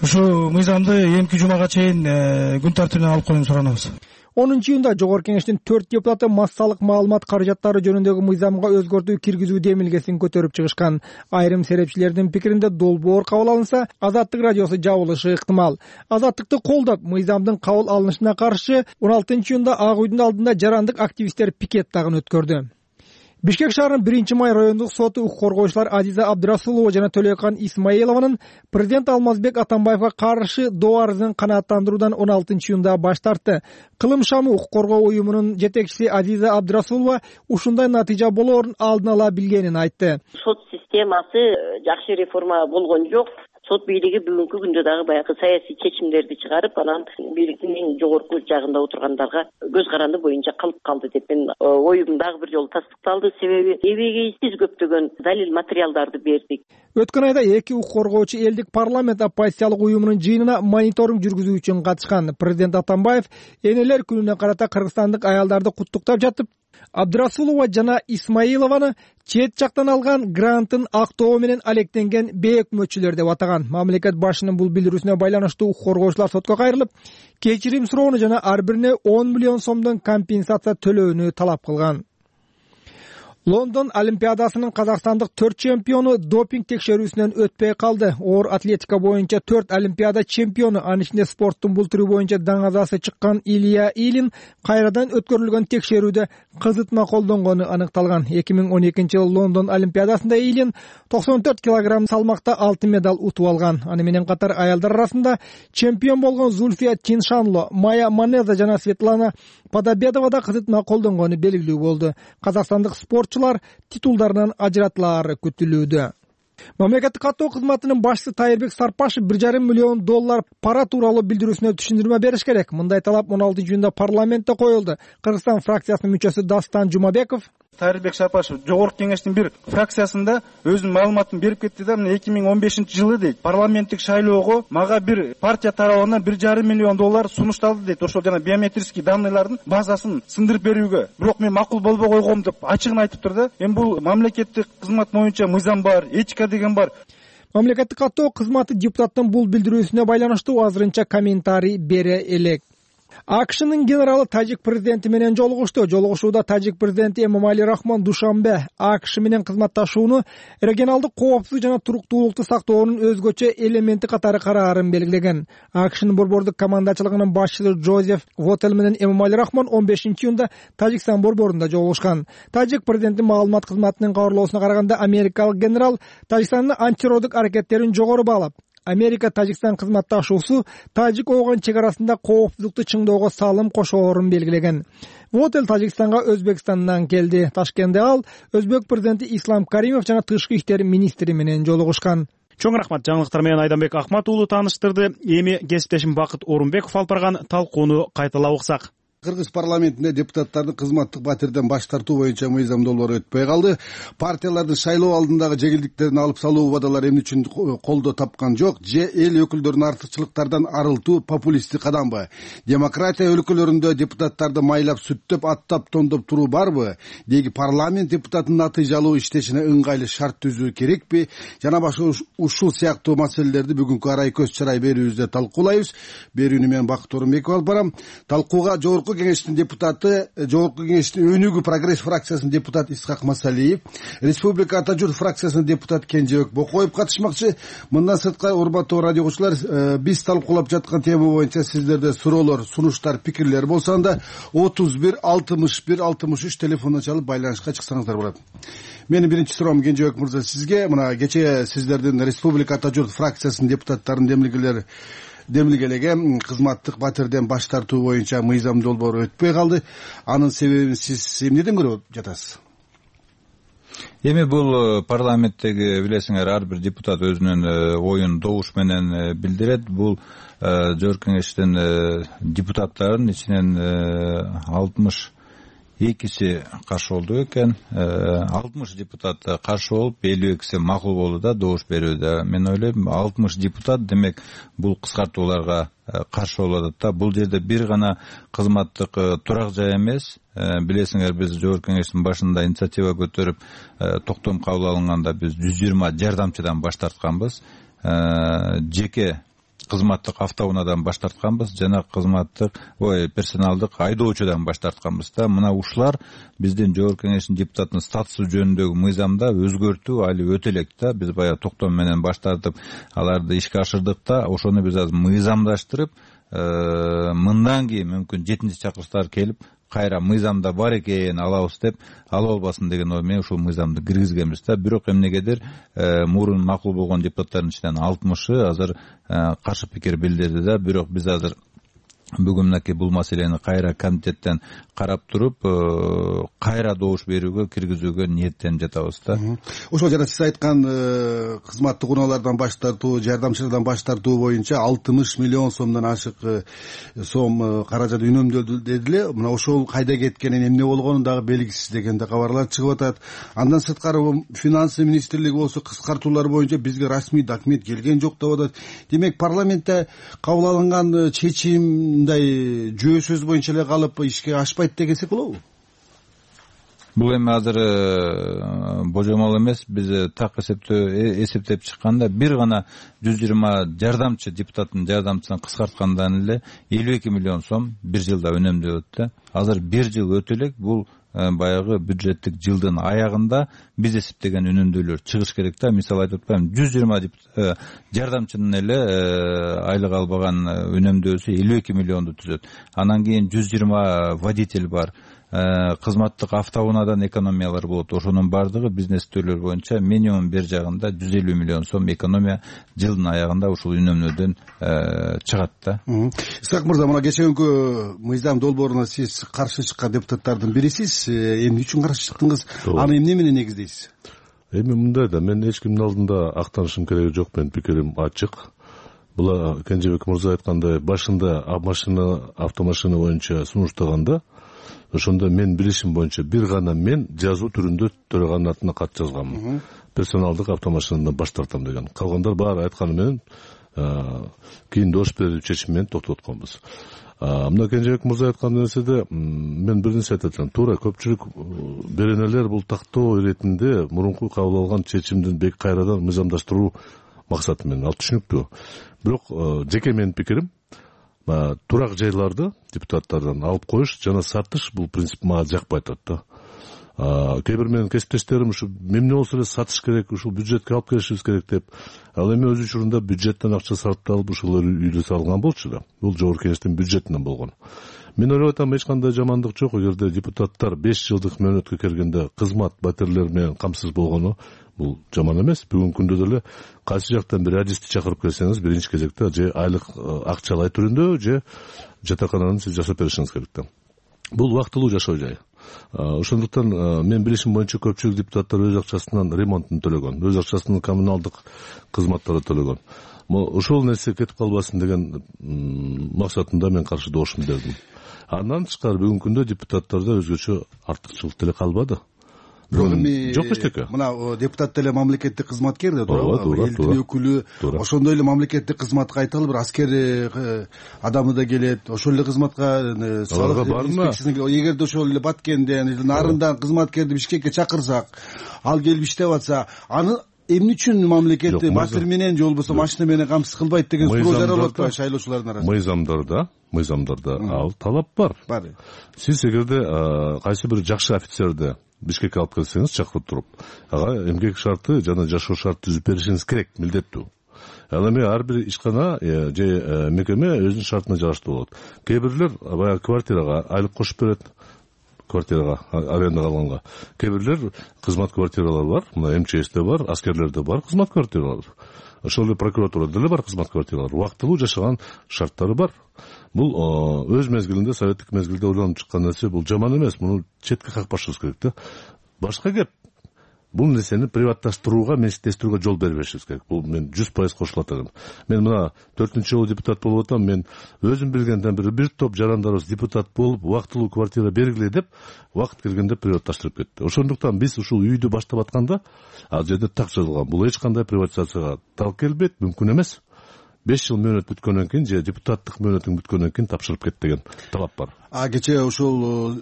Ушу мыйзамды эмки жумага чейин күн тартибинен алып коюуну суранабыз. онунчу июнда Жогорку Кеңештин төрт депутаты массалык маалымат каражаттары жөнүндөгү мыйзамга өзгөртүү киргизүү демилгесин көтөрүп чыгышкан. Айрым серепчилердин пикиринде долбоор кабыл алынса, Азаттык радиосу жабылышы ыктымал. Азаттыкты колдоп, мыйзамдын кабыл алынышына каршы он алтынчы июнда Ак үйдүн алдында жарандык активисттер пикет дагы өткөрдү. Бишкек шаарынын биринчи май райондук соту укук коргоочулар Азиза Абдрасулова жана Төлөкан Исмаилованын президент Алмазбек Атамбаевга каршы доо арызын канааттандыруудан он алтынчы июнда баш тартты. Кылым шамы укук коргоо уюмунун жетекчиси Азиза Абдрасулова ушундай натыйжа болоорун алдын ала билгенин айтты. Сот системасы жакшы реформа болгон жок. Сот бийлиги бүгүнкү күндө дагы баягы саясий чечимдерди чыгарып, анан бийликтин эң жогорку жагында отургандарга көз каранды боюнча калып калды деп мен оюм дагы бир жолу тастыкталды. Себеби эбегейсиз көптөгөн далил материалдарды бердик. Өткөн айда эки укук коргоочу элдик парламент оппозициялык уюмунун жыйынына мониторинг жүргүзүү үчүн катышкан. Президент Атамбаев энелер күнүнө карата кыргызстандык аялдарды куттуктап жатып, Абдрасулова жана Исмаилованы чет жактан алган грантын актоо менен алектенген бейөкмөтчүлөр деп атаган. Мамлекет башчынын бул билдирүүсүнө байланыштуу укук коргоочулар сотко кайрылып, кечирим суроону жана ар бирине он миллион сомдон компенсация төлөөнү талап кылган. Лондон Олимпиадасынын казакстандык төрт чемпиону допинг текшерүүсүнөн өтпөй калды. Оор атлетика боюнча төрт Олимпиада чемпиону, анын ичинде спорттун бул түрү боюнча даңазасы чыккан Илья Илин кайрадан өткөрүлгөн текшерүүдө кызытма колдонгону аныкталган. эки миң он экинчи жылы Лондон Олимпиадасында Илин токсон төрт килограмм салмакта алтын медаль утуп алган. Аны менен катар аялдар арасында чемпион болгон Зульфия Тиншанло, Майя Манеза жана Светлана Подобедова да кызытма колдонгону белгилүү болду. Казакстандык спортчулар титулдарынан ажыратылаары күтүлүүдө. Мамлекеттик каттоо кызматынын башчысы Тайырбек Сарпашев бир жарым миллион доллар пара тууралуу билдирүүсүнө түшүндүрмө бериш керек. Мындай талап он алтынчы июнда парламентте коюлду. Кыргызстан фракциясынын мүчөсү Дастан Жумабеков Тайырбек Сарпашев жогорку кеңештин бир фракциясында өзүнүн маалыматын берип кетти да, мына эки миң он бешинчи жылы дейт, парламенттик шайлоого мага бир партия тарабынан бир жарым миллион доллар сунушталды дейт. Ошол жана биометрический данныйлардын базасын сындырып берүүгө. Бирок мен макул болбой койгом деп ачыгын айтыптыр да. Эми бул мамлекеттик кызмат боюнча мыйзам бар, этика деген бар. Мамлекеттик каттоо кызматы депутаттын бул билдирүүсүнө байланыштуу азырынча комментарий бере элек. АКШнын генералы тажик президенти менен жолугушту. Жолугушууда тажик президенти Эмомали Рахмон Душанбе АКШ менен кызматташууну регионалдык коопсуздук жана туруктуулукту сактоонун өзгөчө элементи катары караарын белгилеген. АКШнын борбордук командачылыгынын башчысы Джозеф Вотел менен Эмомали Рахмон он бешинчи июнда Тажикстан борборунда жолугушкан. Тажик президенти маалымат кызматынын кабарлоосуна караганда, америкалык генерал Тажикстандын антитеррорлук аракеттерин жогору баалап, Америка Тажикстан кызматташуусу Тажик-Ооган чек арасында коопсуздукту чыңдоого салым кошоорун белгилеген. Вотел Тажикстанга Өзбекстандан келди. Ташкентте ал Өзбек президенти Ислам Каримов жана тышкы иштер министри менен жолугушкан. Чоң рахмат, жаңылыктар менен Айданбек Акмат уулу тааныштырды. Эми кесиптешим Бакыт Орунбеков алып барган талкууну кайталап уксак. Кыргыз парламентинде депутаттардын кызматтык батирден баш тартуу боюнча мыйзам долбоору өтпөй калды. Партиялардын шайлоо алдындагы жеңилдиктерин алып салуу убадалары эмне үчүн колдоо тапкан жок? Же эл өкүлдөрүнүн артыкчылыктардан арылтуу популисттик кадамбы? Демократия өлкөлөрүндө депутаттарды майлап сүттөп, аттап, тондоп туруу барбы? Деги парламент депутатынын натыйжалуу иштешине ыңгайлуу шарт түзүү керекпи? Жана башка ушул сыяктуу маселелерди бүгүнкү арай көз чарай берүүбүздө талкуулайбыз. Берүүнү мен Бакыт Орунбеков алып барам. Талкууга жогорку кеңештин депутаты, жогорку кеңештин өнүгүү прогресс фракциясынын депутаты Исхак Масалиев, Республика Ата журт фракциясынын депутаты Кенжебек Бокоев катышмакчы. Мындан сырткары, урматтуу радио угуучулар, биз талкуулап жаткан тема боюнча сиздерде суроолор, сунуштар, пикирлер болсо анда отуз бир алтымыш бир алтымыш үч телефондон чалып байланышка чыксаңыздар болот. Менин биринчи суроом Кенжебек мырза сизге. Мына кечээ сиздердин Республика Ата журт фракциясынын депутаттарынын демилгелери демилгелеген кызматтык батирден баш тартуу боюнча мыйзам долбоору өтпөй калды. Анын себебин сиз эмнеден көрүп жатасыз? Эми бул парламенттеги билесиңер, ар бир депутат өзүнүн оюн добуш менен билдирет. Бул жогорку кеңештин депутаттарынын ичинен алтымыш экиси каршы болду экен. алтымыш депутат каршы болуп, элүү экиси макул болду да добуш берүүдө. Мен ойлойм, алтымыш депутат демек бул кыскартууларга каршы болуп атат да. Бул жерде бир гана кызматтык турак жай эмес. Билесиңер, биз жогорку кеңештин башында инициатива көтөрүп, токтом кабыл алынганда биз жүз жыйырма жардамчыдан баш тартканбыз. Жеке кызматтык автоунаадан баш тартканбыз, жана кызматтык ой персоналдык айдоочудан баш тартканбыз да. Мына ушулар биздин жогорку кеңештин депутатынын статусу жөнүндөгү мыйзамда өзгөртүү али өтө элек да. Биз баягы токтом менен баш тартып, аларды ишке ашырдык да. Ошону биз азыр мыйзамдаштырып, мындан кийин мүмкүн жетинчи чакырыштар келип, кайра мыйзамда бар экен алабыз деп, ала албасын деген ой менен ушул мыйзамды киргизгенбиз да. Бирок эмнегедир мурун макул болгон депутаттардын ичинен алтымышы азыр каршы пикир билдирди да. Бирок биз азыр бүгүн мынакей бул маселени кайра комитеттен карап туруп, кайра добуш берүүгө киргизүүгө ниеттенип жатабыз да. Ошол жана сиз айткан кызматтык унаалардан баш тартуу, жардамчылардан баш тартуу боюнча алтымыш миллион сомдон ашык сом каражат үнөмдөлдү дедиле. Мына ошол кайда кеткенин, эмне болгонун дагы белгисиз деген да кабарлар чыгып атат. Андан сырткары финансы министрлиги болсо кыскартуулар боюнча бизге расмий документ келген жок деп атат. Демек парламентте кабыл алынган чечим мындай жөө сөз боюнча эле калып ишке ашпайт дегенсек болобу? Бул эми азыр божомол эмес. Биз так эсептөө эсептеп чыкканда бир гана жүз жыйырма жардамчы депутаттын жардамчысын кыскарткандан эле элүү эки миллион сом бир жылда үнөмдөлөт да. Азыр бир жыл өтө элек, бул баягы бюджеттик жылдын аягында биз эсептеген үнөмдүүлөр чыгыш керек да. Мисалы айтып атпаймынбы, жүз жыйырма жардамчынын эле айлык албаган үнөмдөөсү элүү эки миллионду түзөт. Анан кийин жүз жыйырма водитель бар, кызматтык автоунаадан экономиялар болот. Ошонун баардыгы биздин эсептөөлөр боюнча минимум бер жагында жүз элүү миллион сом экономия жылдын аягында ушул үнөмнөөдөн чыгат да. Исак мырза, мына кечээкүнкү мыйзам долбооруна сиз каршы чыккан депутаттардын бирисиз. Эмне үчүн каршы чыктыңыз? Аны эмне менен негиздейсиз? Эми мындай да, мен эч кимдин алдында актанышым кереги жок, менин пикирим ачык. Бул Кенжебек мырза айткандай, башында машина, автомашина боюнча сунуштаганда, ошондо мен билишим боюнча бир гана мен жазуу түрүндө төрөгандын атына кат жазганмын. Персоналдык автомашинадан баш тартам деген. Калгандар баары айтканы менен кийин дош берип чечим менен токтотконбуз. Мына Кенжебек мырза айткан нерседе мен бир нерсе айтып атам. Туура, көпчүлүк беренелер бул тактоо иретинде мурунку кабыл алган чечимдин бек кайрадан мыйзамдаштыруу максаты менен. Ал түшүнүктүү. Бирок жеке менин пикирим, турак жайларды депутаттардан алып коюш жана сатыш бул принцип мага жакпай атат да. Кээ бир менин кесиптештерим ушу эмне болсо эле сатыш керек, ушул бюджетке алып келишибиз керек деп. Ал эми өз учурунда бюджеттен акча сарпталып ушулар үйдө салган болчу да. Бул жогорку кеңештин бюджетинен болгон. Мен ойлоп атам, эч кандай жамандык жок эгерде депутаттар беш жылдык мөөнөткө келгенде кызмат батирлер менен камсыз болгону, бул жаман эмес. Бүгүнкү күндө деле кайсы жактан бир радистти чакырып келсеңиз, биринчи кезекте же айлык акчалай түрүндө, же жатакананы сиз жасап беришиңиз керек да. Бул убактылуу жашоо жай. Ошондуктан мен билишим боюнча көпчүлүк депутаттар өз акчасынан ремонтун төлөгөн, өз акчасынан коммуналдык кызматтарды төлөгөн. Ошол нерсе кетип калбасын деген максатында мен каршы добушумду бердим. Андан тышкары бүгүнкү күндө депутаттарда өзгөчө артыкчылык деле калбады. Жок эчтеке. Мына депутат деле мамлекеттик кызматкер да, туура. Элдин өкүлү, ошондой эле мамлекеттик кызматка айталы бир аскер адамы да келет. Ошол эле кызматка салык инспекциясына, эгерде ошол эле Баткенден, нарындан кызматкерди Бишкекке чакырсак, ал келип иштеп атса, аны эмне үчүн мамлекетти батир менен же болбосо машина менен камсыз кылбайт деген суроо жаралып атпайбы шайлоочулардын арасында? Мыйзамдарда, мыйзамдарда ал талап бар. Бар. Сиз эгерде кайсы бир жакшы офицерди Бишкекке алып келсеңиз, чакырып туруп, ага эмгек шарты жана жашоо шарты түзүп беришиңиз керек, милдеттүү. Ал эми ар бир ишкана же мекеме өзүнүн шартына жараштуу болот. Кээ бирлер баягы квартирага айлык кошуп берет, квартирага, арендага алганга. Кээ бирлер кызмат квартиралар бар, мына эм че эсте бар, аскерлерде бар кызмат квартиралар. Ошол эле прокуратурада деле бар кызмат квартиралар. Убактылуу жашаган шарттары бар. Бул өз мезгилинде, советтик мезгилде ойлонуп чыккан нерсе, бул жаман эмес, муну четке какпашыбыз керек да. Башка кеп, бул нерсени приватташтырууга, менчиктештирүүгө жол бербешибиз керек. Бул мен жүз пайыз кошулат элем. Мен мына төртүнчү жолу депутат болуп атам, мен өзүм билгенден бир бир топ жарандарыбыз депутат болуп, убактылуу квартира бергиле деп, убакыт келгенде приватташтырып кетти. Ошондуктан биз ушул үйдү баштап атканда, ал жерде так жазылган. Бул эч кандай приватизацияга так келбейт, мүмкүн эмес. беш жыл мөөнөт бүткөндөн кийин же депутаттык мөөнөтүң бүткөндөн кийин тапшырып кет деген талап бар. А кечээ ошол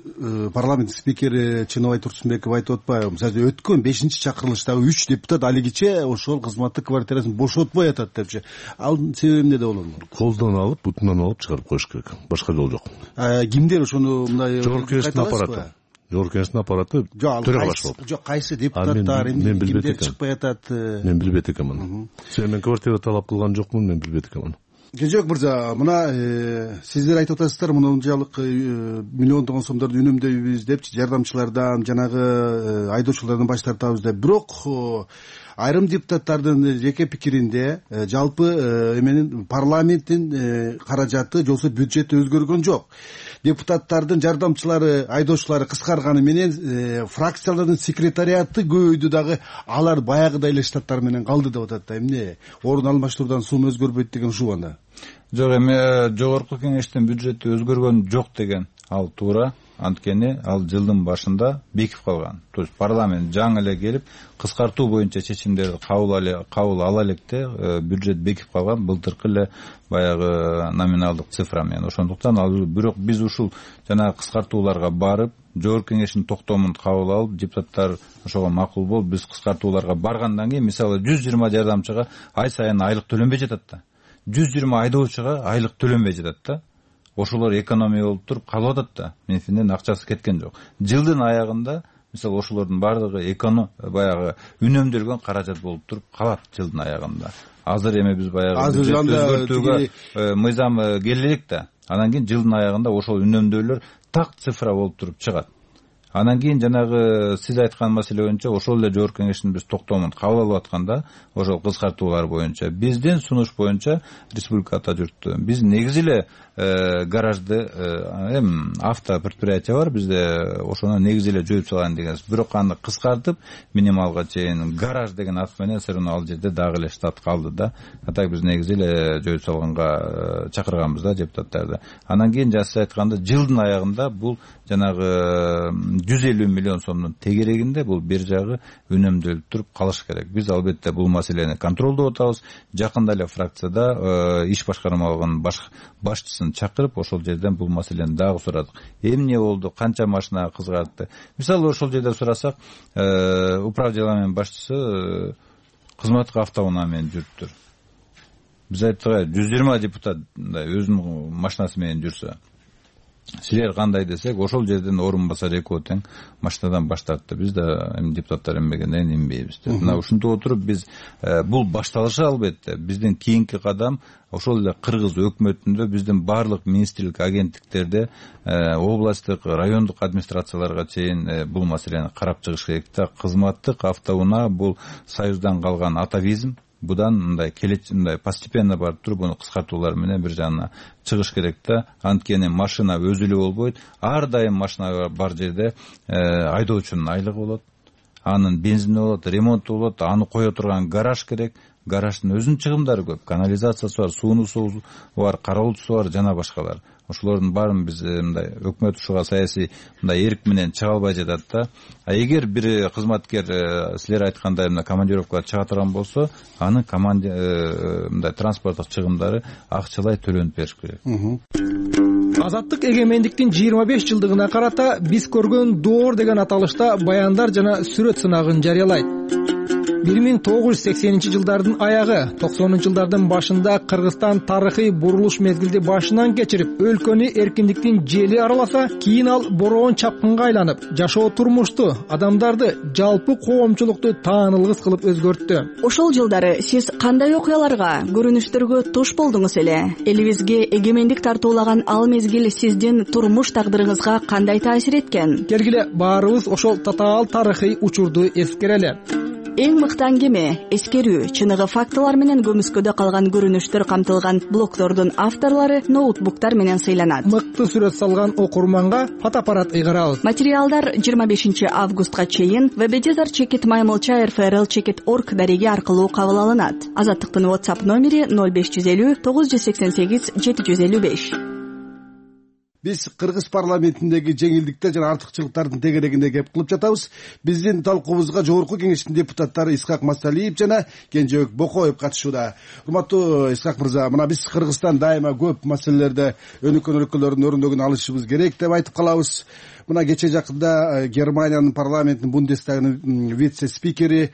парламент спикери Чыныбай Турсунбеков айтып атпайбы? Мисалы өткөн бешинчи чакырылыштагы үч депутат алигиче ошол кызматтык квартирасын бошотпой атат депчи. Ал себеби эмнеде болот? Колдон алып, бутунан алып чыгарып коюш керек. Башка жол жок. Кимдер ошону мындай жогорку кеңештин аппараты? Жогорку кеңештин аппараты төрөгө баш болот. Жок, кайсы депутаттар эмне кимдер чыкпай атат? Мен билбейт экенмин. Себеби мен квартира талап кылган жокмун, мен билбейт экенмин. Кенжебек мырза, мына сиздер айтып атасыздар, мынчалык миллиондогон сомдорду үнөмдөйбүз депчи, жардамчылардан, жанагы айдоочулардан баш тартабыз деп. Бирок айрым депутаттардын жеке пикиринде жалпы эменин парламенттин каражаты же болбосо бюджети өзгөргөн жок. Депутаттардын жардамчылары, айдоочулары кыскарганы менен фракциялардын секретариаты көбөйдү дагы, алар баягыдай эле штаттар менен калды деп атат да. Эмне орун алмаштыруудан сум өзгөрбөйт деген ушул анда? Жок, эми жогорку кеңештин бюджети өзгөргөн жок деген ал туура. Анткени ал жылдын башында бекип калган. То есть парламент жаңы эле келип кыскартуу боюнча чечимдерди кабыл ала электе бюджет бекип калган, былтыркы эле баягы номиналдык цифра менен. Ошондуктан ал бирок биз ушул жана кыскартууларга барып, жогорку кеңештин токтомун кабыл алып, депутаттар ошого макул болуп, биз кыскартууларга баргандан кийин, мисалы жүз жыйырма жардамчыга ай сайын айлык төлөнбөй жатат да. жүз жыйырма айдоочуга айлык төлөнбөй жатат да. ошолор экономия болуп туруп калып атат да, менин акчасы кеткен жок. Жылдын аягында мисалы ошолордун баардыгы эконом баягы үнөмдөлгөн каражат болуп туруп калат жылдын аягында. Азыр эми биз баягы өзгөртүүгө мыйзам келе элек да, анан кийин жылдын аягында ошол үнөмдөөлөр так цифра болуп туруп чыгат. Анан кийин жанагы сиз айткан маселе боюнча ошол эле жогорку кеңештин биз токтомун кабыл алып атканда ошол кыскартуулар боюнча биздин сунуш боюнча республика Атажуртта биз негизи эле гаражды эми авто предприятие бар бизде, ошону негизи эле жоюп салган дегенбиз. Бирок аны кыскартып минималга чейин гараж деген ат менен все равно ал жерде дагы эле штат калды да. А так биз негизи эле жоюп салганга чакырганбыз да депутаттарды. Анан кийин жана сиз айтканда жылдын аягында бул жанагы жүз элүү миллион сомдун тегерегинде бул бир жагы үнөмдөлүп туруп калыш керек. Биз албетте бул маселени контролдоп атабыз. Жакында эле фракцияда иш башкармалыгынын башчысын чакырып ошол жерден бул маселени дагы сурадык. Эмне болду, канча машина кызгартты. Мисалы ошол жерде сурасак, управделениянын башчысы кызматтык автоунаа менен жүрүптүр. Биз айттык, жүз жыйырма депутат өзүнүн машинасы менен жүрсө, силер кандай десек, ошол жерден орун басар экөө тең машинадан баш тартты. Биз да эми депутаттар эмбегенден кийин инбейбиз. Мына ушинтип отуруп биз бул башталышы албетте. Биздин кийинки кадам ошол эле кыргыз өкмөтүндө биздин баардык министрлик агенттиктерде областтык, райондук администрацияларга чейин бул маселени карап чыгыш керек да. Кызматтык автоунаа бул союздан калган атавизм. Будан мындай келечек мындай постепенно барып туруп буну кыскартуулар менен бир жагына чыгыш керек да. Анткени машина өзү эле болбойт. Ар дайым машина бар жерде айдоочунун айлыгы болот, анын бензини болот, ремонту болот, аны кое турган гараж керек. Гараждын өзүнүн чыгымдары көп. Канализациясы бар, суунусу бар, кароолчусу бар, жана башкалар. Ошолордун баарын биз мындай өкмөт ушуга саясий мындай эрк менен чыга албай жатат да. А эгер бир кызматкер силер айткандай мына командировкага чыга турган болсо, анын команде мындай транспорттук чыгымдары акчалай төлөнүп бериш керек. Азаттык эгемендиктин жыйырма беш жылдыгына карата биз көргөн доор деген аталышта баяндар жана сүрөт сынагын жарыялайт. бир миң тогуз жүз сексенинчи жылдардын аягы, токсонунчу жылдардын башында Кыргызстан тарыхый бурулуш мезгилди башынан кечирип, өлкөнү эркиндиктин жели араласа, кийин ал бороон чапкынга айланып, жашоо турмушту, адамдарды, жалпы коомчулукту таанылгыс кылып өзгөрттү. Ошол жылдары сиз кандай окуяларга, көрүнүштөргө туш болдуңуз эле? Элибизге эгемендик тартуулаган ал мезгил сиздин турмуш тагдырыңызга кандай таасир эткен? Келгиле баарыбыз ошол татаал тарыхый учурду эскерели. Эң мыкты аңгеме, эскерүү, чыныгы фактылар менен көмүскөдө калган көрүнүштөр камтылган блогдордун авторлору ноутбуктар менен сыйланат. Мыкты сүрөт салган окурманга фотоаппарат ыйгарабыз. Материалдар жыйырма бешинчи августка чейин веб-эдитор чекит маймылча эр эф эр эл чекит точка орг дареги аркылуу кабыл алынат. Азаттыктын WhatsApp номери ноль беш жүз элүү тогуз жүз сексен сегиз жети жүз элүү беш. Биз кыргыз парламентиндеги жеңилдиктер жана артыкчылыктардын тегерегинде кеп кылып жатабыз. Биздин талкуубузга жогорку кеңештин депутаттары Исхак Масалиев жана Кенжебек Бокоев катышууда. Урматтуу Исхак мырза, мына биз Кыргызстан дайыма көп маселелерде өнүккөн өлкөлөрдүн өрүндөгүн алышыбыз керек деп айтып калабыз. Мына кече жакында Германиянын парламентинин Бундестагынын вице-спикери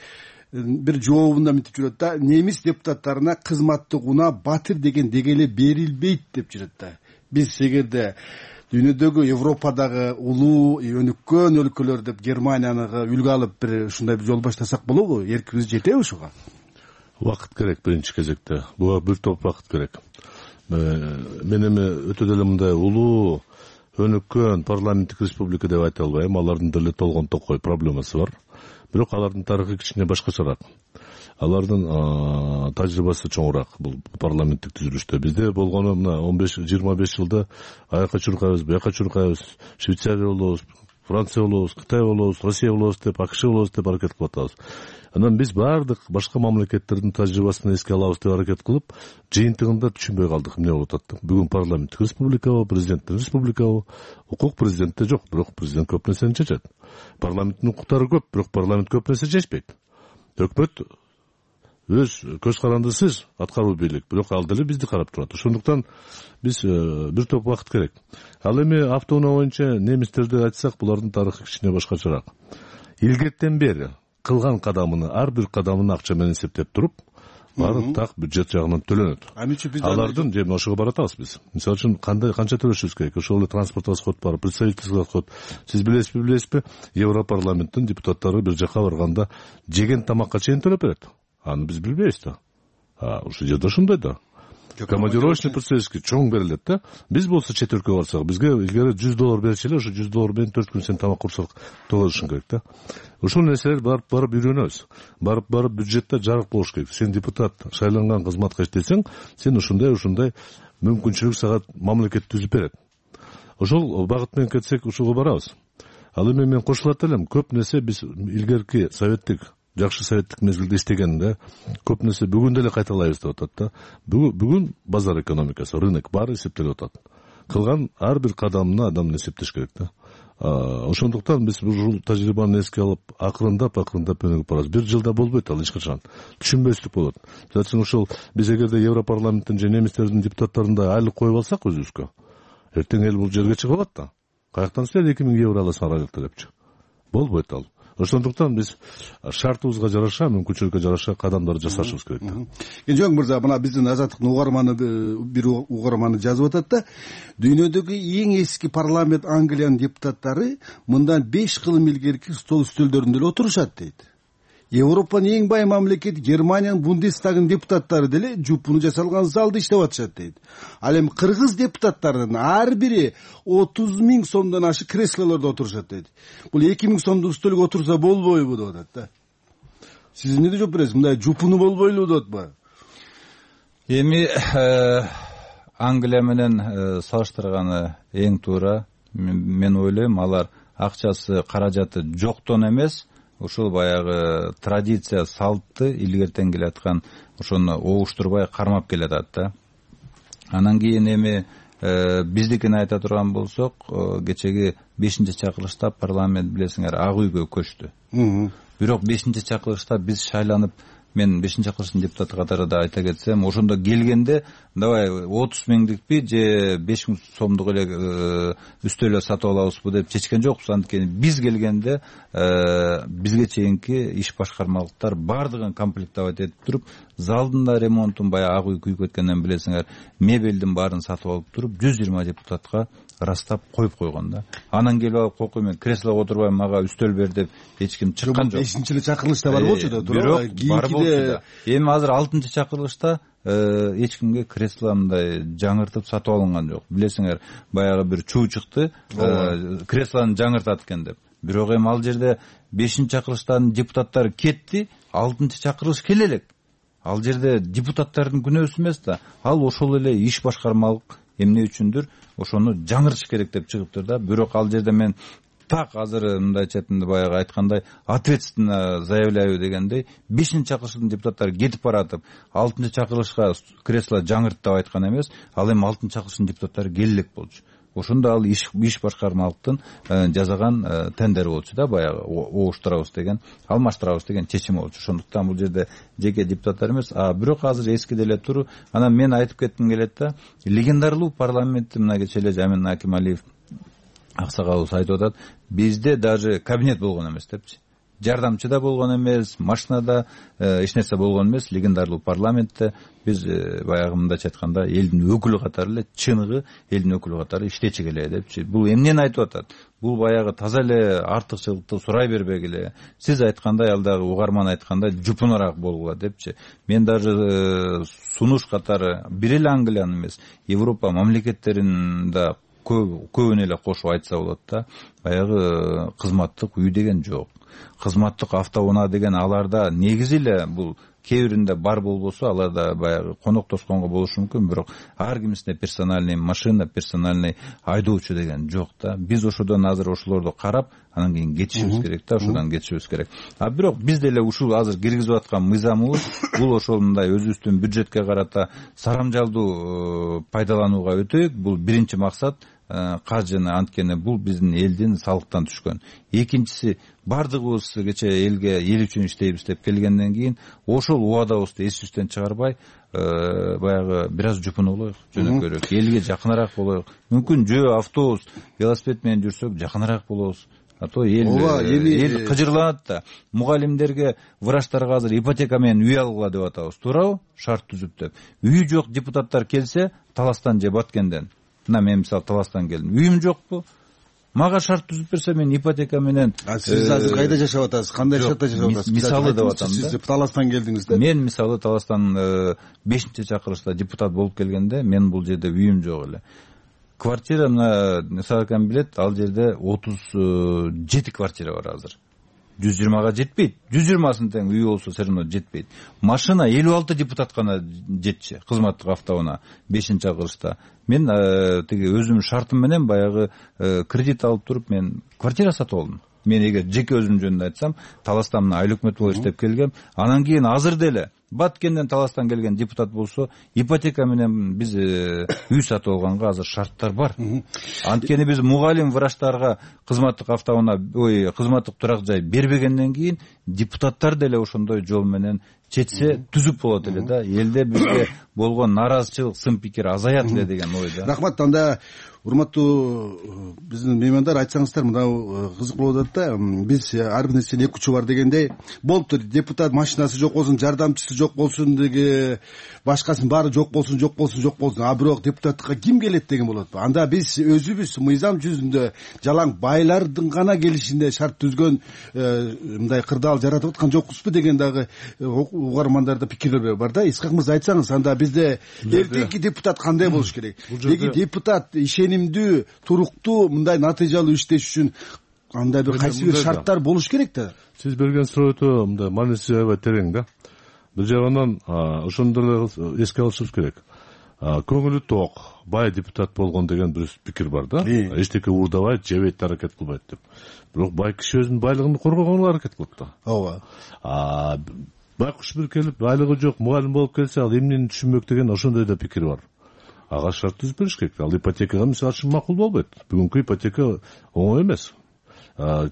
бир жообунда мынтип жүрөт да, немис депутаттарына кызматтык унаа батир деген дегеле берилбейт деп жүрөт да. Биз эгерде дүйнөдөгү, Европадагы улуу өнүккөн өлкөлөр деп Германияны үлгү алып бир ушундай бир жол баштасак болобу? Эркибиз жетеби ушуга? Убакыт керек биринчи кезекте. Буга бир топ убакыт керек. Мен эми өтө деле мындай улуу өнүккөн парламенттик республика деп айта албайм. Алардын деле толгон токой проблемасы бар. Бирок алардын тарыхы кичине башкачараак. Алардын тажрыйбасы чоңураак бул парламенттик түзүлүштө. Бизде болгону мына он беш жыйырма беш жылда аяка чуркайбыз, буяка чуркайбыз, Швейцария болобуз, Франция болобуз, Кытай болобуз, Россия болобуз деп, АКШ болобуз деп аракет кылып атабыз. Анан биз баардык башка мамлекеттердин тажрыйбасын эске алабыз деп аракет кылып, жыйынтыгында түшүнбөй калдык эмне болуп атат. Бүгүн парламенттик республикабы, президенттик республикабы, укук президентте жок, бирок президент көп нерсени чечет. Парламенттин укуктары көп, бирок парламент көп нерсе чечпейт. Өкмөт өз көз карандысыз аткаруу бийлик, бирок ал деле бизди карап турат. Ошондуктан биз бир топ убакыт керек. Ал эми автоунаа боюнча немистерди айтсак, булардын тарыхы кичине башкачараак. Илгертен бери кылган кадамыны, ар бир кадамын акча менен эсептеп туруп, баары так бюджет жагынан төлөнөт. Алардын же ошого баратабыз биз. Мисалы үчүн кандай канча төлөшүбүз керек? Ошол эле транспорт расход бар, представительский расход. Сиз билесизби, билесизби? Европарламенттин депутаттары бир жака барганда жеген тамакка чейин төлөп берет. Аны биз билбейбиз да. А ушул жерде ошондой да. Командировочный процесски чоң берилет да. Биз болсо чет өлкөгө барсак, бизге илгери жүз доллар берчү эле, ошо жүз доллар менен төрт күн сен тамак курсак тоолошуң керек да. Ошол нерселер барып барып үйрөнөбүз. Барып барып бюджетте жарык болуш керек. Сен депутат шайланган кызматка иштесең, сен ушундай ушундай мүмкүнчүлүк сага мамлекет түзүп берет. Ошол багыт менен кетсек ушуга барабыз. Ал эми мен кошулат элем, көп нерсе биз илгерки советтик жакшы советтик мезгилде иштегенде көп нерсе бүгүн деле кайталайбыз деп атат да. Бүгүн базар экономикасы, рынок баары эсептелип атат. Кылган ар бир кадамына адам эсептеш керек да. Ошондуктан биз бул тажрыйбаны эске алып, акырындап акырындап өнүгүп барабыз. Бир жылда болбойт ал эч качан. Түшүнбөстүк болот. Жана ошол биз эгерде Европарламенттин же немистердин депутаттарында айлык коюп алсак өзүбүзгө, эртең эл бул жерге чыгып алат да. Каяктан силер эки миң евро аласыңар айлыкта депчи. Болбойт ал. Ошондуктан биз шартыбызга жараша, мүмкүнчүлүккө жараша кадамдар жасашыбыз керек да. Кенжебек мырза, мына биздин Азаттыктын угарманы бир угарманы жазып атат да. Дүйнөдөгү эң эски парламент Англиянын депутаттары мындан беш кылым илгерки стол үстөлдөрүндө эле отурушат дейт. Европанын эң бай мамлекети Германиянын Бундестагынын депутаттары деле жупуну жасалган залда иштеп атышат дейт. Ал эми кыргыз депутаттарынын ар бири отуз миң сомдон ашык креслолордо отурушат дейт. Бул эки миң сомдук үстөлгө отурса болбойбу деп атат да. Сиз эмне жооп бересиз? Мындай жупуну болбойлу деп атпайбы? Эми Англия менен салыштырганы эң туура. Мен ойлойм, алар акчасы, каражаты жоктон эмес, ушул баягы традиция, салтты илгертен келаткан ошону оуштурбай кармап келатат да. Анан кийин эми биздикин айта турган болсок, кечеги бешинчи чакырылышта парламент билесиңер Ак үйгө көчтү. Бирок бешинчи чакырылышта биз шайланып, мен бешинчи чакырылыштын депутаты катарында айта кетсем, ошондо келгенде давай отуз миңдикпи же беш миң сомдук эле үстөлө сатып алабызбы деп чечкен жокпуз. Анткени биз келгенде бизге чейинки иш башкармалыктар баардыгын комплектовать этип туруп, залдын да ремонтун, баягы Ак үй күйүп кеткенден билесиңер, мебелдин баарын сатып алып туруп, жүз жыйырма депутатка растап коюп койгон да. Анан келип алып, кокуй мен креслого отурбайм, мага үстөл бер деп эч ким чыккан жок. бешинчи чакырылышта бар болчу да, туура. Бар болчу да. Эми азыр алтынчы чакырылышта эч кимге кресло мындай жаңыртып сатып алынган жок. Билесиңер, баягы бир чуу чыкты, креслону жаңыртат экен деп. Бирок эми ал жерде бешинчи чакырылыштын депутаттары кетти, алтынчы чакырылыш келе элек. Ал жерде депутаттардын күнөөсү эмес да. Ал ошол эле иш башкармалык эмне үчүндүр ошону жаңыртыш керек деп чыгыптыр да. Бирок ал жерде мен так азыр мындай четинде баягы айткандай ответственно заявляю дегендей, бешинчи чакырылыштын депутаттары кетип баратып, алтынчы чакырылышка кресло жаңырт деп айткан эмес, ал эми алтынчы чакырылыштын депутаттары келе элек болчу. Ошондо ал иш иш башкармалыктын жасаган тендери болчу да, баягы оуштурабыз деген, алмаштырабыз деген чечими болчу. Ошондуктан бул жерде жеке депутаттар эмес, а бирок азыр эски деле тур. Анан мен айтып кетким келет да, легендарлуу парламентти мына кечээ эле Жамин Акималиев аксагалыбыз айтып атат, бизде даже кабинет болгон эмес депчи. Жардамчы да болгон эмес, машинада эч нерсе болгон эмес, легендарлуу парламентте биз баягы мындайча айтканда элдин өкүлү катары эле, чыныгы элдин өкүлү катары иштечи келе депчи. Бул эмнени айтып атат? Бул баягы таза эле артыкчылыкты сурай бербегиле. Сиз айткандай, ал дагы угарман айткандай жупунураак болгула депчи. Мен даже сунуш катары бир эле Англиянын эмес, Европа мамлекеттерин да көбүнө эле кошуп айтса болот да. Баягы кызматтык үй деген жок. Кызматтык автоунаа деген аларда негизи эле бул кээ биринде бар болбосо, аларда баягы коноктошконго болушу мүмкүн, бирок ар кимисинде персональный машина, персональный айдоочу деген жок да. Биз ошодон азыр ошолорду карап, анан кийин кетишибиз керек да, ошодан кетишибиз керек. А бирок биз деле ушул азыр киргизип аткан мыйзамыбыз бул ошол мындай өзүбүздүн бюджетке карата сарамжалдуу пайдаланууга өтөйүк. Бул биринчи максат. Каржыны, анткени бул биздин элдин салыктан түшкөн. Экинчиси, бардыгыбыз кече элге эл үчүн иштейбиз деп келгенден кийин ошол убадабызды эсибизден чыгарбай, баягы бир аз жупуну болоюк, жөнөкөйрөөк, элге жакыныраак болоюк. Мүмкүн жөө автобус, велосипед менен жүрсөк жакыныраак болобуз. а то эл эл кыжырланат да. Мугалимдерге, врачтарга азыр ипотека менен үй алгыла деп атабыз, туурабы? Шарт түзүп деп. Үйү жок депутаттар келсе, Таластан же Баткенден. Мына мен мисалы Таластан келдим. Үйүм жокпу? Мага шарт түзүп берсе, мен ипотека менен. Сиз азыр кайда жашап атасыз? Кандай шартта жашап атасыз? Мисалы деп атам да. Сиз Таластан келдиңиз да? Мен мисалы Таластан бешинчи чакырылышта депутат болуп келгенде, мен бул жерде үйүм жок эле. Квартира, мына Саракан билет, ал жерде отуз жети квартира бар азыр. жүз жыйырмага жетпейт. жүз жыйырмасын тең үй болсо все равно жетпейт. Машина элүү алты депутат гана жетчи, кызматтык автоунаа бешинчи чакырылышта. Мен тиги өзүмдүн шартым менен баягы кредит алып туруп мен квартира сатып алдым. Мен эгер жеке өзүм жөнүндө айтсам, Таластан мына айлык өкмөт болуп иштеп келгем. Анан кийин азыр деле Баткенден Таластан келген депутат болсо, ипотека менен биз үй сатып алганга азыр шарттар бар. Анткени биз мугалим, врачтарга кызматтык автоунаа, ой, кызматтык турак жай бербегенден кийин депутаттар деле ошондой жол менен чечсе түзүп болот эле да. Элде бизге болгон наразычылык, сын пикир азаят эле деген ойда. Рахмат. Анда урматтуу биздин меймандар, айтсаңыздар, мына кызык болуп атат да. Биз ар бир нерсенин эки учу бар дегендей, болуптур. Депутат машинасы жок болсун, жардамчысы жок болсун, деги башкасынын баары жок болсун, жок болсун, жок болсун. А бирок депутаттыкка ким келет деген болот. Анда биз өзүбүз мыйзам жүзүндө жалаң байлардын гана келишинде шарт түзгөн мындай кырдаал жаратып аткан жокпузбу деген дагы угармандарда пикирлер бар да. Исхак мырза, айтсаңыз, анда бизде эртеңки депутат кандай болуш керек? Деги депутат ишенимдүү, туруктуу, мындай натыйжалуу иштеш үчүн андай бир кайсы бир шарттар болуш керек да. Сиз берген суроо өтө мындай мааниси аябай терең да. Бир жагынан ошондо эле эске алышыбыз керек. Көңүлү ток, бай депутат болгон деген бир пикир бар да. Эчтеке уурдабайт, жебейт, аракет кылбайт деп. Бирок бай киши өзүнүн байлыгын коргогонго аракет кылат да. Ооба. Байкуш бир келип, айлыгы жок мугалим болуп келсе, ал эмнени түшүнбөк деген ошондой да пикир бар. Ага шарт түзүп бериш керек. Ал ипотекага мисалы үчүн макул болбойт. Бүгүнкү ипотека оңой эмес.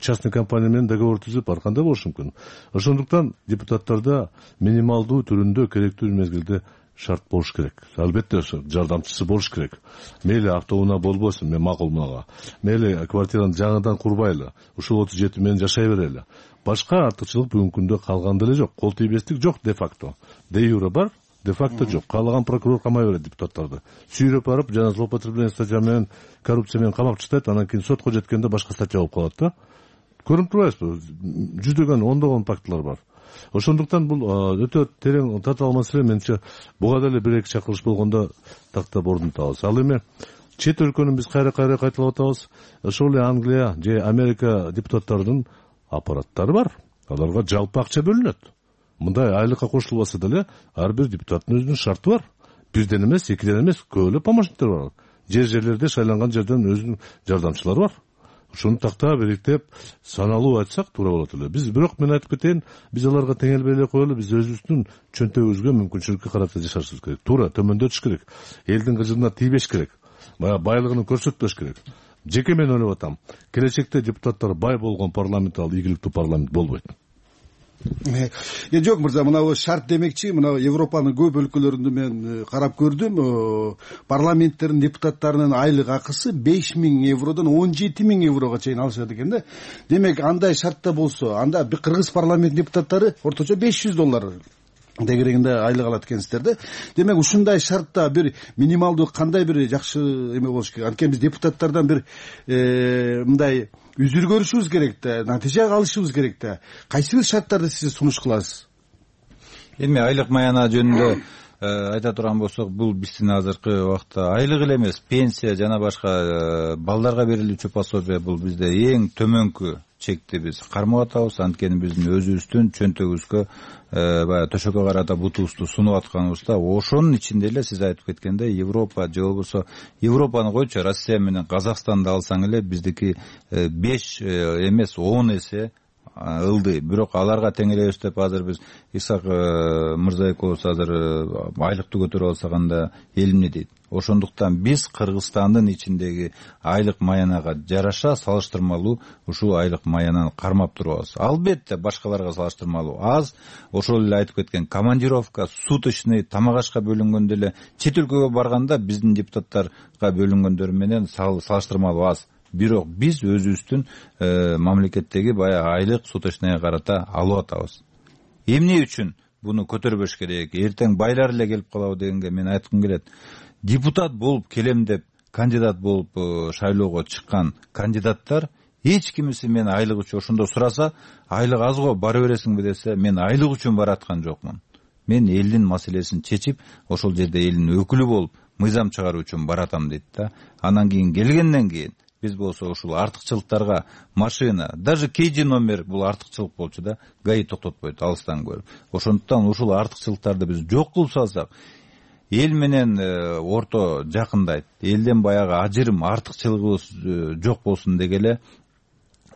Частный компания менен договор түзүп ар кандай болушу мүмкүн. Ошондуктан депутаттарда минималдуу түрүндө керектүү мезгилде шарт болуш керек. Албетте жардамчысы болуш керек. Мейли автоунаа болбосун, мен макул мага. Мейли квартираны жаңыдан курбайлы. Ушул отуз жети менен жашай берели. Башка артыкчылык бүгүнкү күндө калган деле жок. Кол тийбестик жок де факто. Де юре бар, де факто жок. Каалаган прокурор камай берет депутаттарды. Сүйрөп барып, жана злоупотребление статья менен, коррупция менен камап чыктайт, анан кийин сотко жеткенде башка статья болуп калат да. Көрүп турбайсызбы? Жүздөгөн, ондогон фактылар бар. Ошондуктан бул өтө терең татаал маселе. Менимче буга деле бир эки чакырылыш болгондо тактап ордун табабыз. Ал эми чет өлкөнү биз кайра-кайра кайталап атабыз. Ошол эле Англия же Америка депутаттарынын аппараттары бар. Аларга жалпы акча бөлүнөт. Мындай айлыкка кошулбаса деле ар бир депутаттын өзүнүн шарты бар. Бирден эмес, экиден эмес, көп эле помощниктер бар. Жер жерлерде шайланган жерден өзүнүн жардамчылары бар. Ошону тактап иликтеп саналуу айтсак туура болот эле. Биз бирок мен айтып кетейин, биз аларга теңелбей эле коелу, биз өзүбүздүн чөнтөгүбүзгө, мүмкүнчүлүккө карата жашашыбыз керек. Туура төмөндөтүш керек. Элдин кыжыгына тийбеш керек. Баягы байлыгын көрсөтпөш керек. Жеке мен ойлоп атам, келечекте депутаттар бай болгон парламент ал ийгиликтүү парламент болбойт. Э, жок мырза, мына шарт демекчи, мына Европанын көп өлкөлөрүндө мен карап көрдүм. Парламенттердин депутаттарынын айлык акысы беш миң евродон он жети миң еврого чейин алышат экен да. Демек андай шартта болсо, анда бир кыргыз парламент депутаттары орточо беш жүз доллар дегерегинде айлык алат экенсиздер да. Демек ушундай шартта бир минималдуу кандай бир жакшы эме болуш керек. Анткени биз депутаттардан бир мындай үзүр көрүшүбүз керек да, натыйжа алышыбыз керек да. Кайсы бир шарттарды сиз сунуш кыласыз? Эми айлык маяна жөнүндө айта турган болсок, бул биздин азыркы убакта айлык эле эмес, пенсия жана башка балдарга берилүүчү пособие бул бизде эң төмөнкү чекти биз кармап атабыз. Анткени биздин өзүбүздүн чөнтөгүбүзгө баягы төшөккө карата бутубузду сунуп атканыбызда, ошонун ичинде эле сиз айтып кеткендей Европа же болбосо Европаны койчу, Россия менен Казакстанды алсаң эле биздики беш эмес он эсе ылдый. Бирок аларга теңелебиз деп азыр биз Исак мырза экөөбүз азыр айлыкты көтөрүп алсак анда эл эмне дейт? Ошондуктан биз Кыргызстандын ичиндеги айлык маянага жараша салыштырмалуу ушул айлык маянаны кармап турабыз. Албетте башкаларга салыштырмалуу аз. Ошол эле айтып кеткен командировка, суточный, тамак ашка бөлүнгөндө эле чет өлкөгө барганда биздин депутаттарга бөлүнгөндөр менен салыштырмалуу аз. бирок биз өзүбүздүн мамлекеттеги баягы айлык суточныйга карата алып атабыз. Эмне үчүн буну көтөрбөш керек, эртең байлар эле келип калабы дегенге мен айткым келет. Депутат болуп келем деп кандидат болуп шайлоого чыккан кандидаттар эч кимиси мен айлык үчүн ошондо сураса, айлык аз го бара бересиңби десе, мен айлык үчүн бараткан жокмун. Мен элдин маселесин чечип, ошол жерде элдин өкүлү болуп, мыйзам чыгаруу үчүн баратам дейт да. Анан кийин келгенден кийин биз болсо ушул артыкчылыктарга машина, даже кейжи номер бул артыкчылык болчу да, гаи токтотпойт алыстан көрүп. Ошондуктан ушул артыкчылыктарды биз жок кылып салсак, эл менен орто жакындайт. Элден баягы ажырым, артыкчылыгыбыз жок болсун дегеле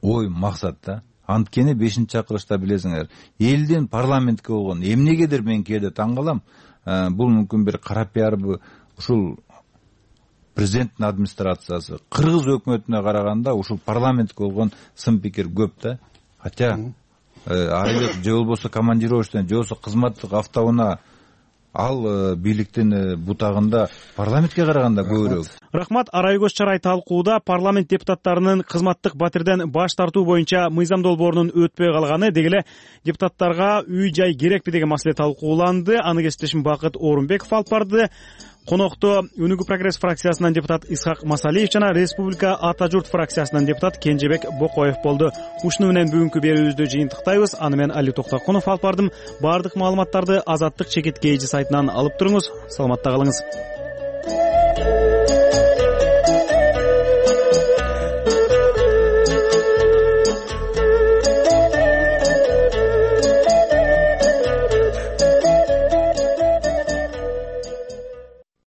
ой максат да. Анткени бешинчи чакырышта билесиңер, элдин парламентке болгон эмнегедир мен кээде таң калам. Бул мүмкүн бир кара пиарбы, ушул президенттин администрациясы кыргыз өкмөтүнө караганда ушул парламентке болгон сын пикир көп да. Хотя айлык же болбосо командировочный, же болбосо кызматтык автоунаа ал бийликтин бутагында парламентке караганда көбүрөөк. Рахмат. Арай көз чарай талкууда парламент депутаттарынын кызматтык батирден баш тартуу боюнча мыйзам долбоорунун өтпөй калганы, деги эле депутаттарга үй жай керекпи деген маселе талкууланды. Аны кесиптешим Бакыт Орунбеков алып барды. Конокто Өнүгүү прогресс фракциясынан депутат Исхак Масалиев жана Республика Ата журт фракциясынан депутат Кенжебек Бокоев болду. Ушуну менен бүгүнкү берүүбүздү жыйынтыктайбыз. Аны мен Али Токтокунов алып бардым. Бардык маалыматтарды Азаттык чекит кейжи сайтынан алып туруңуз. Саламатта калыңыз.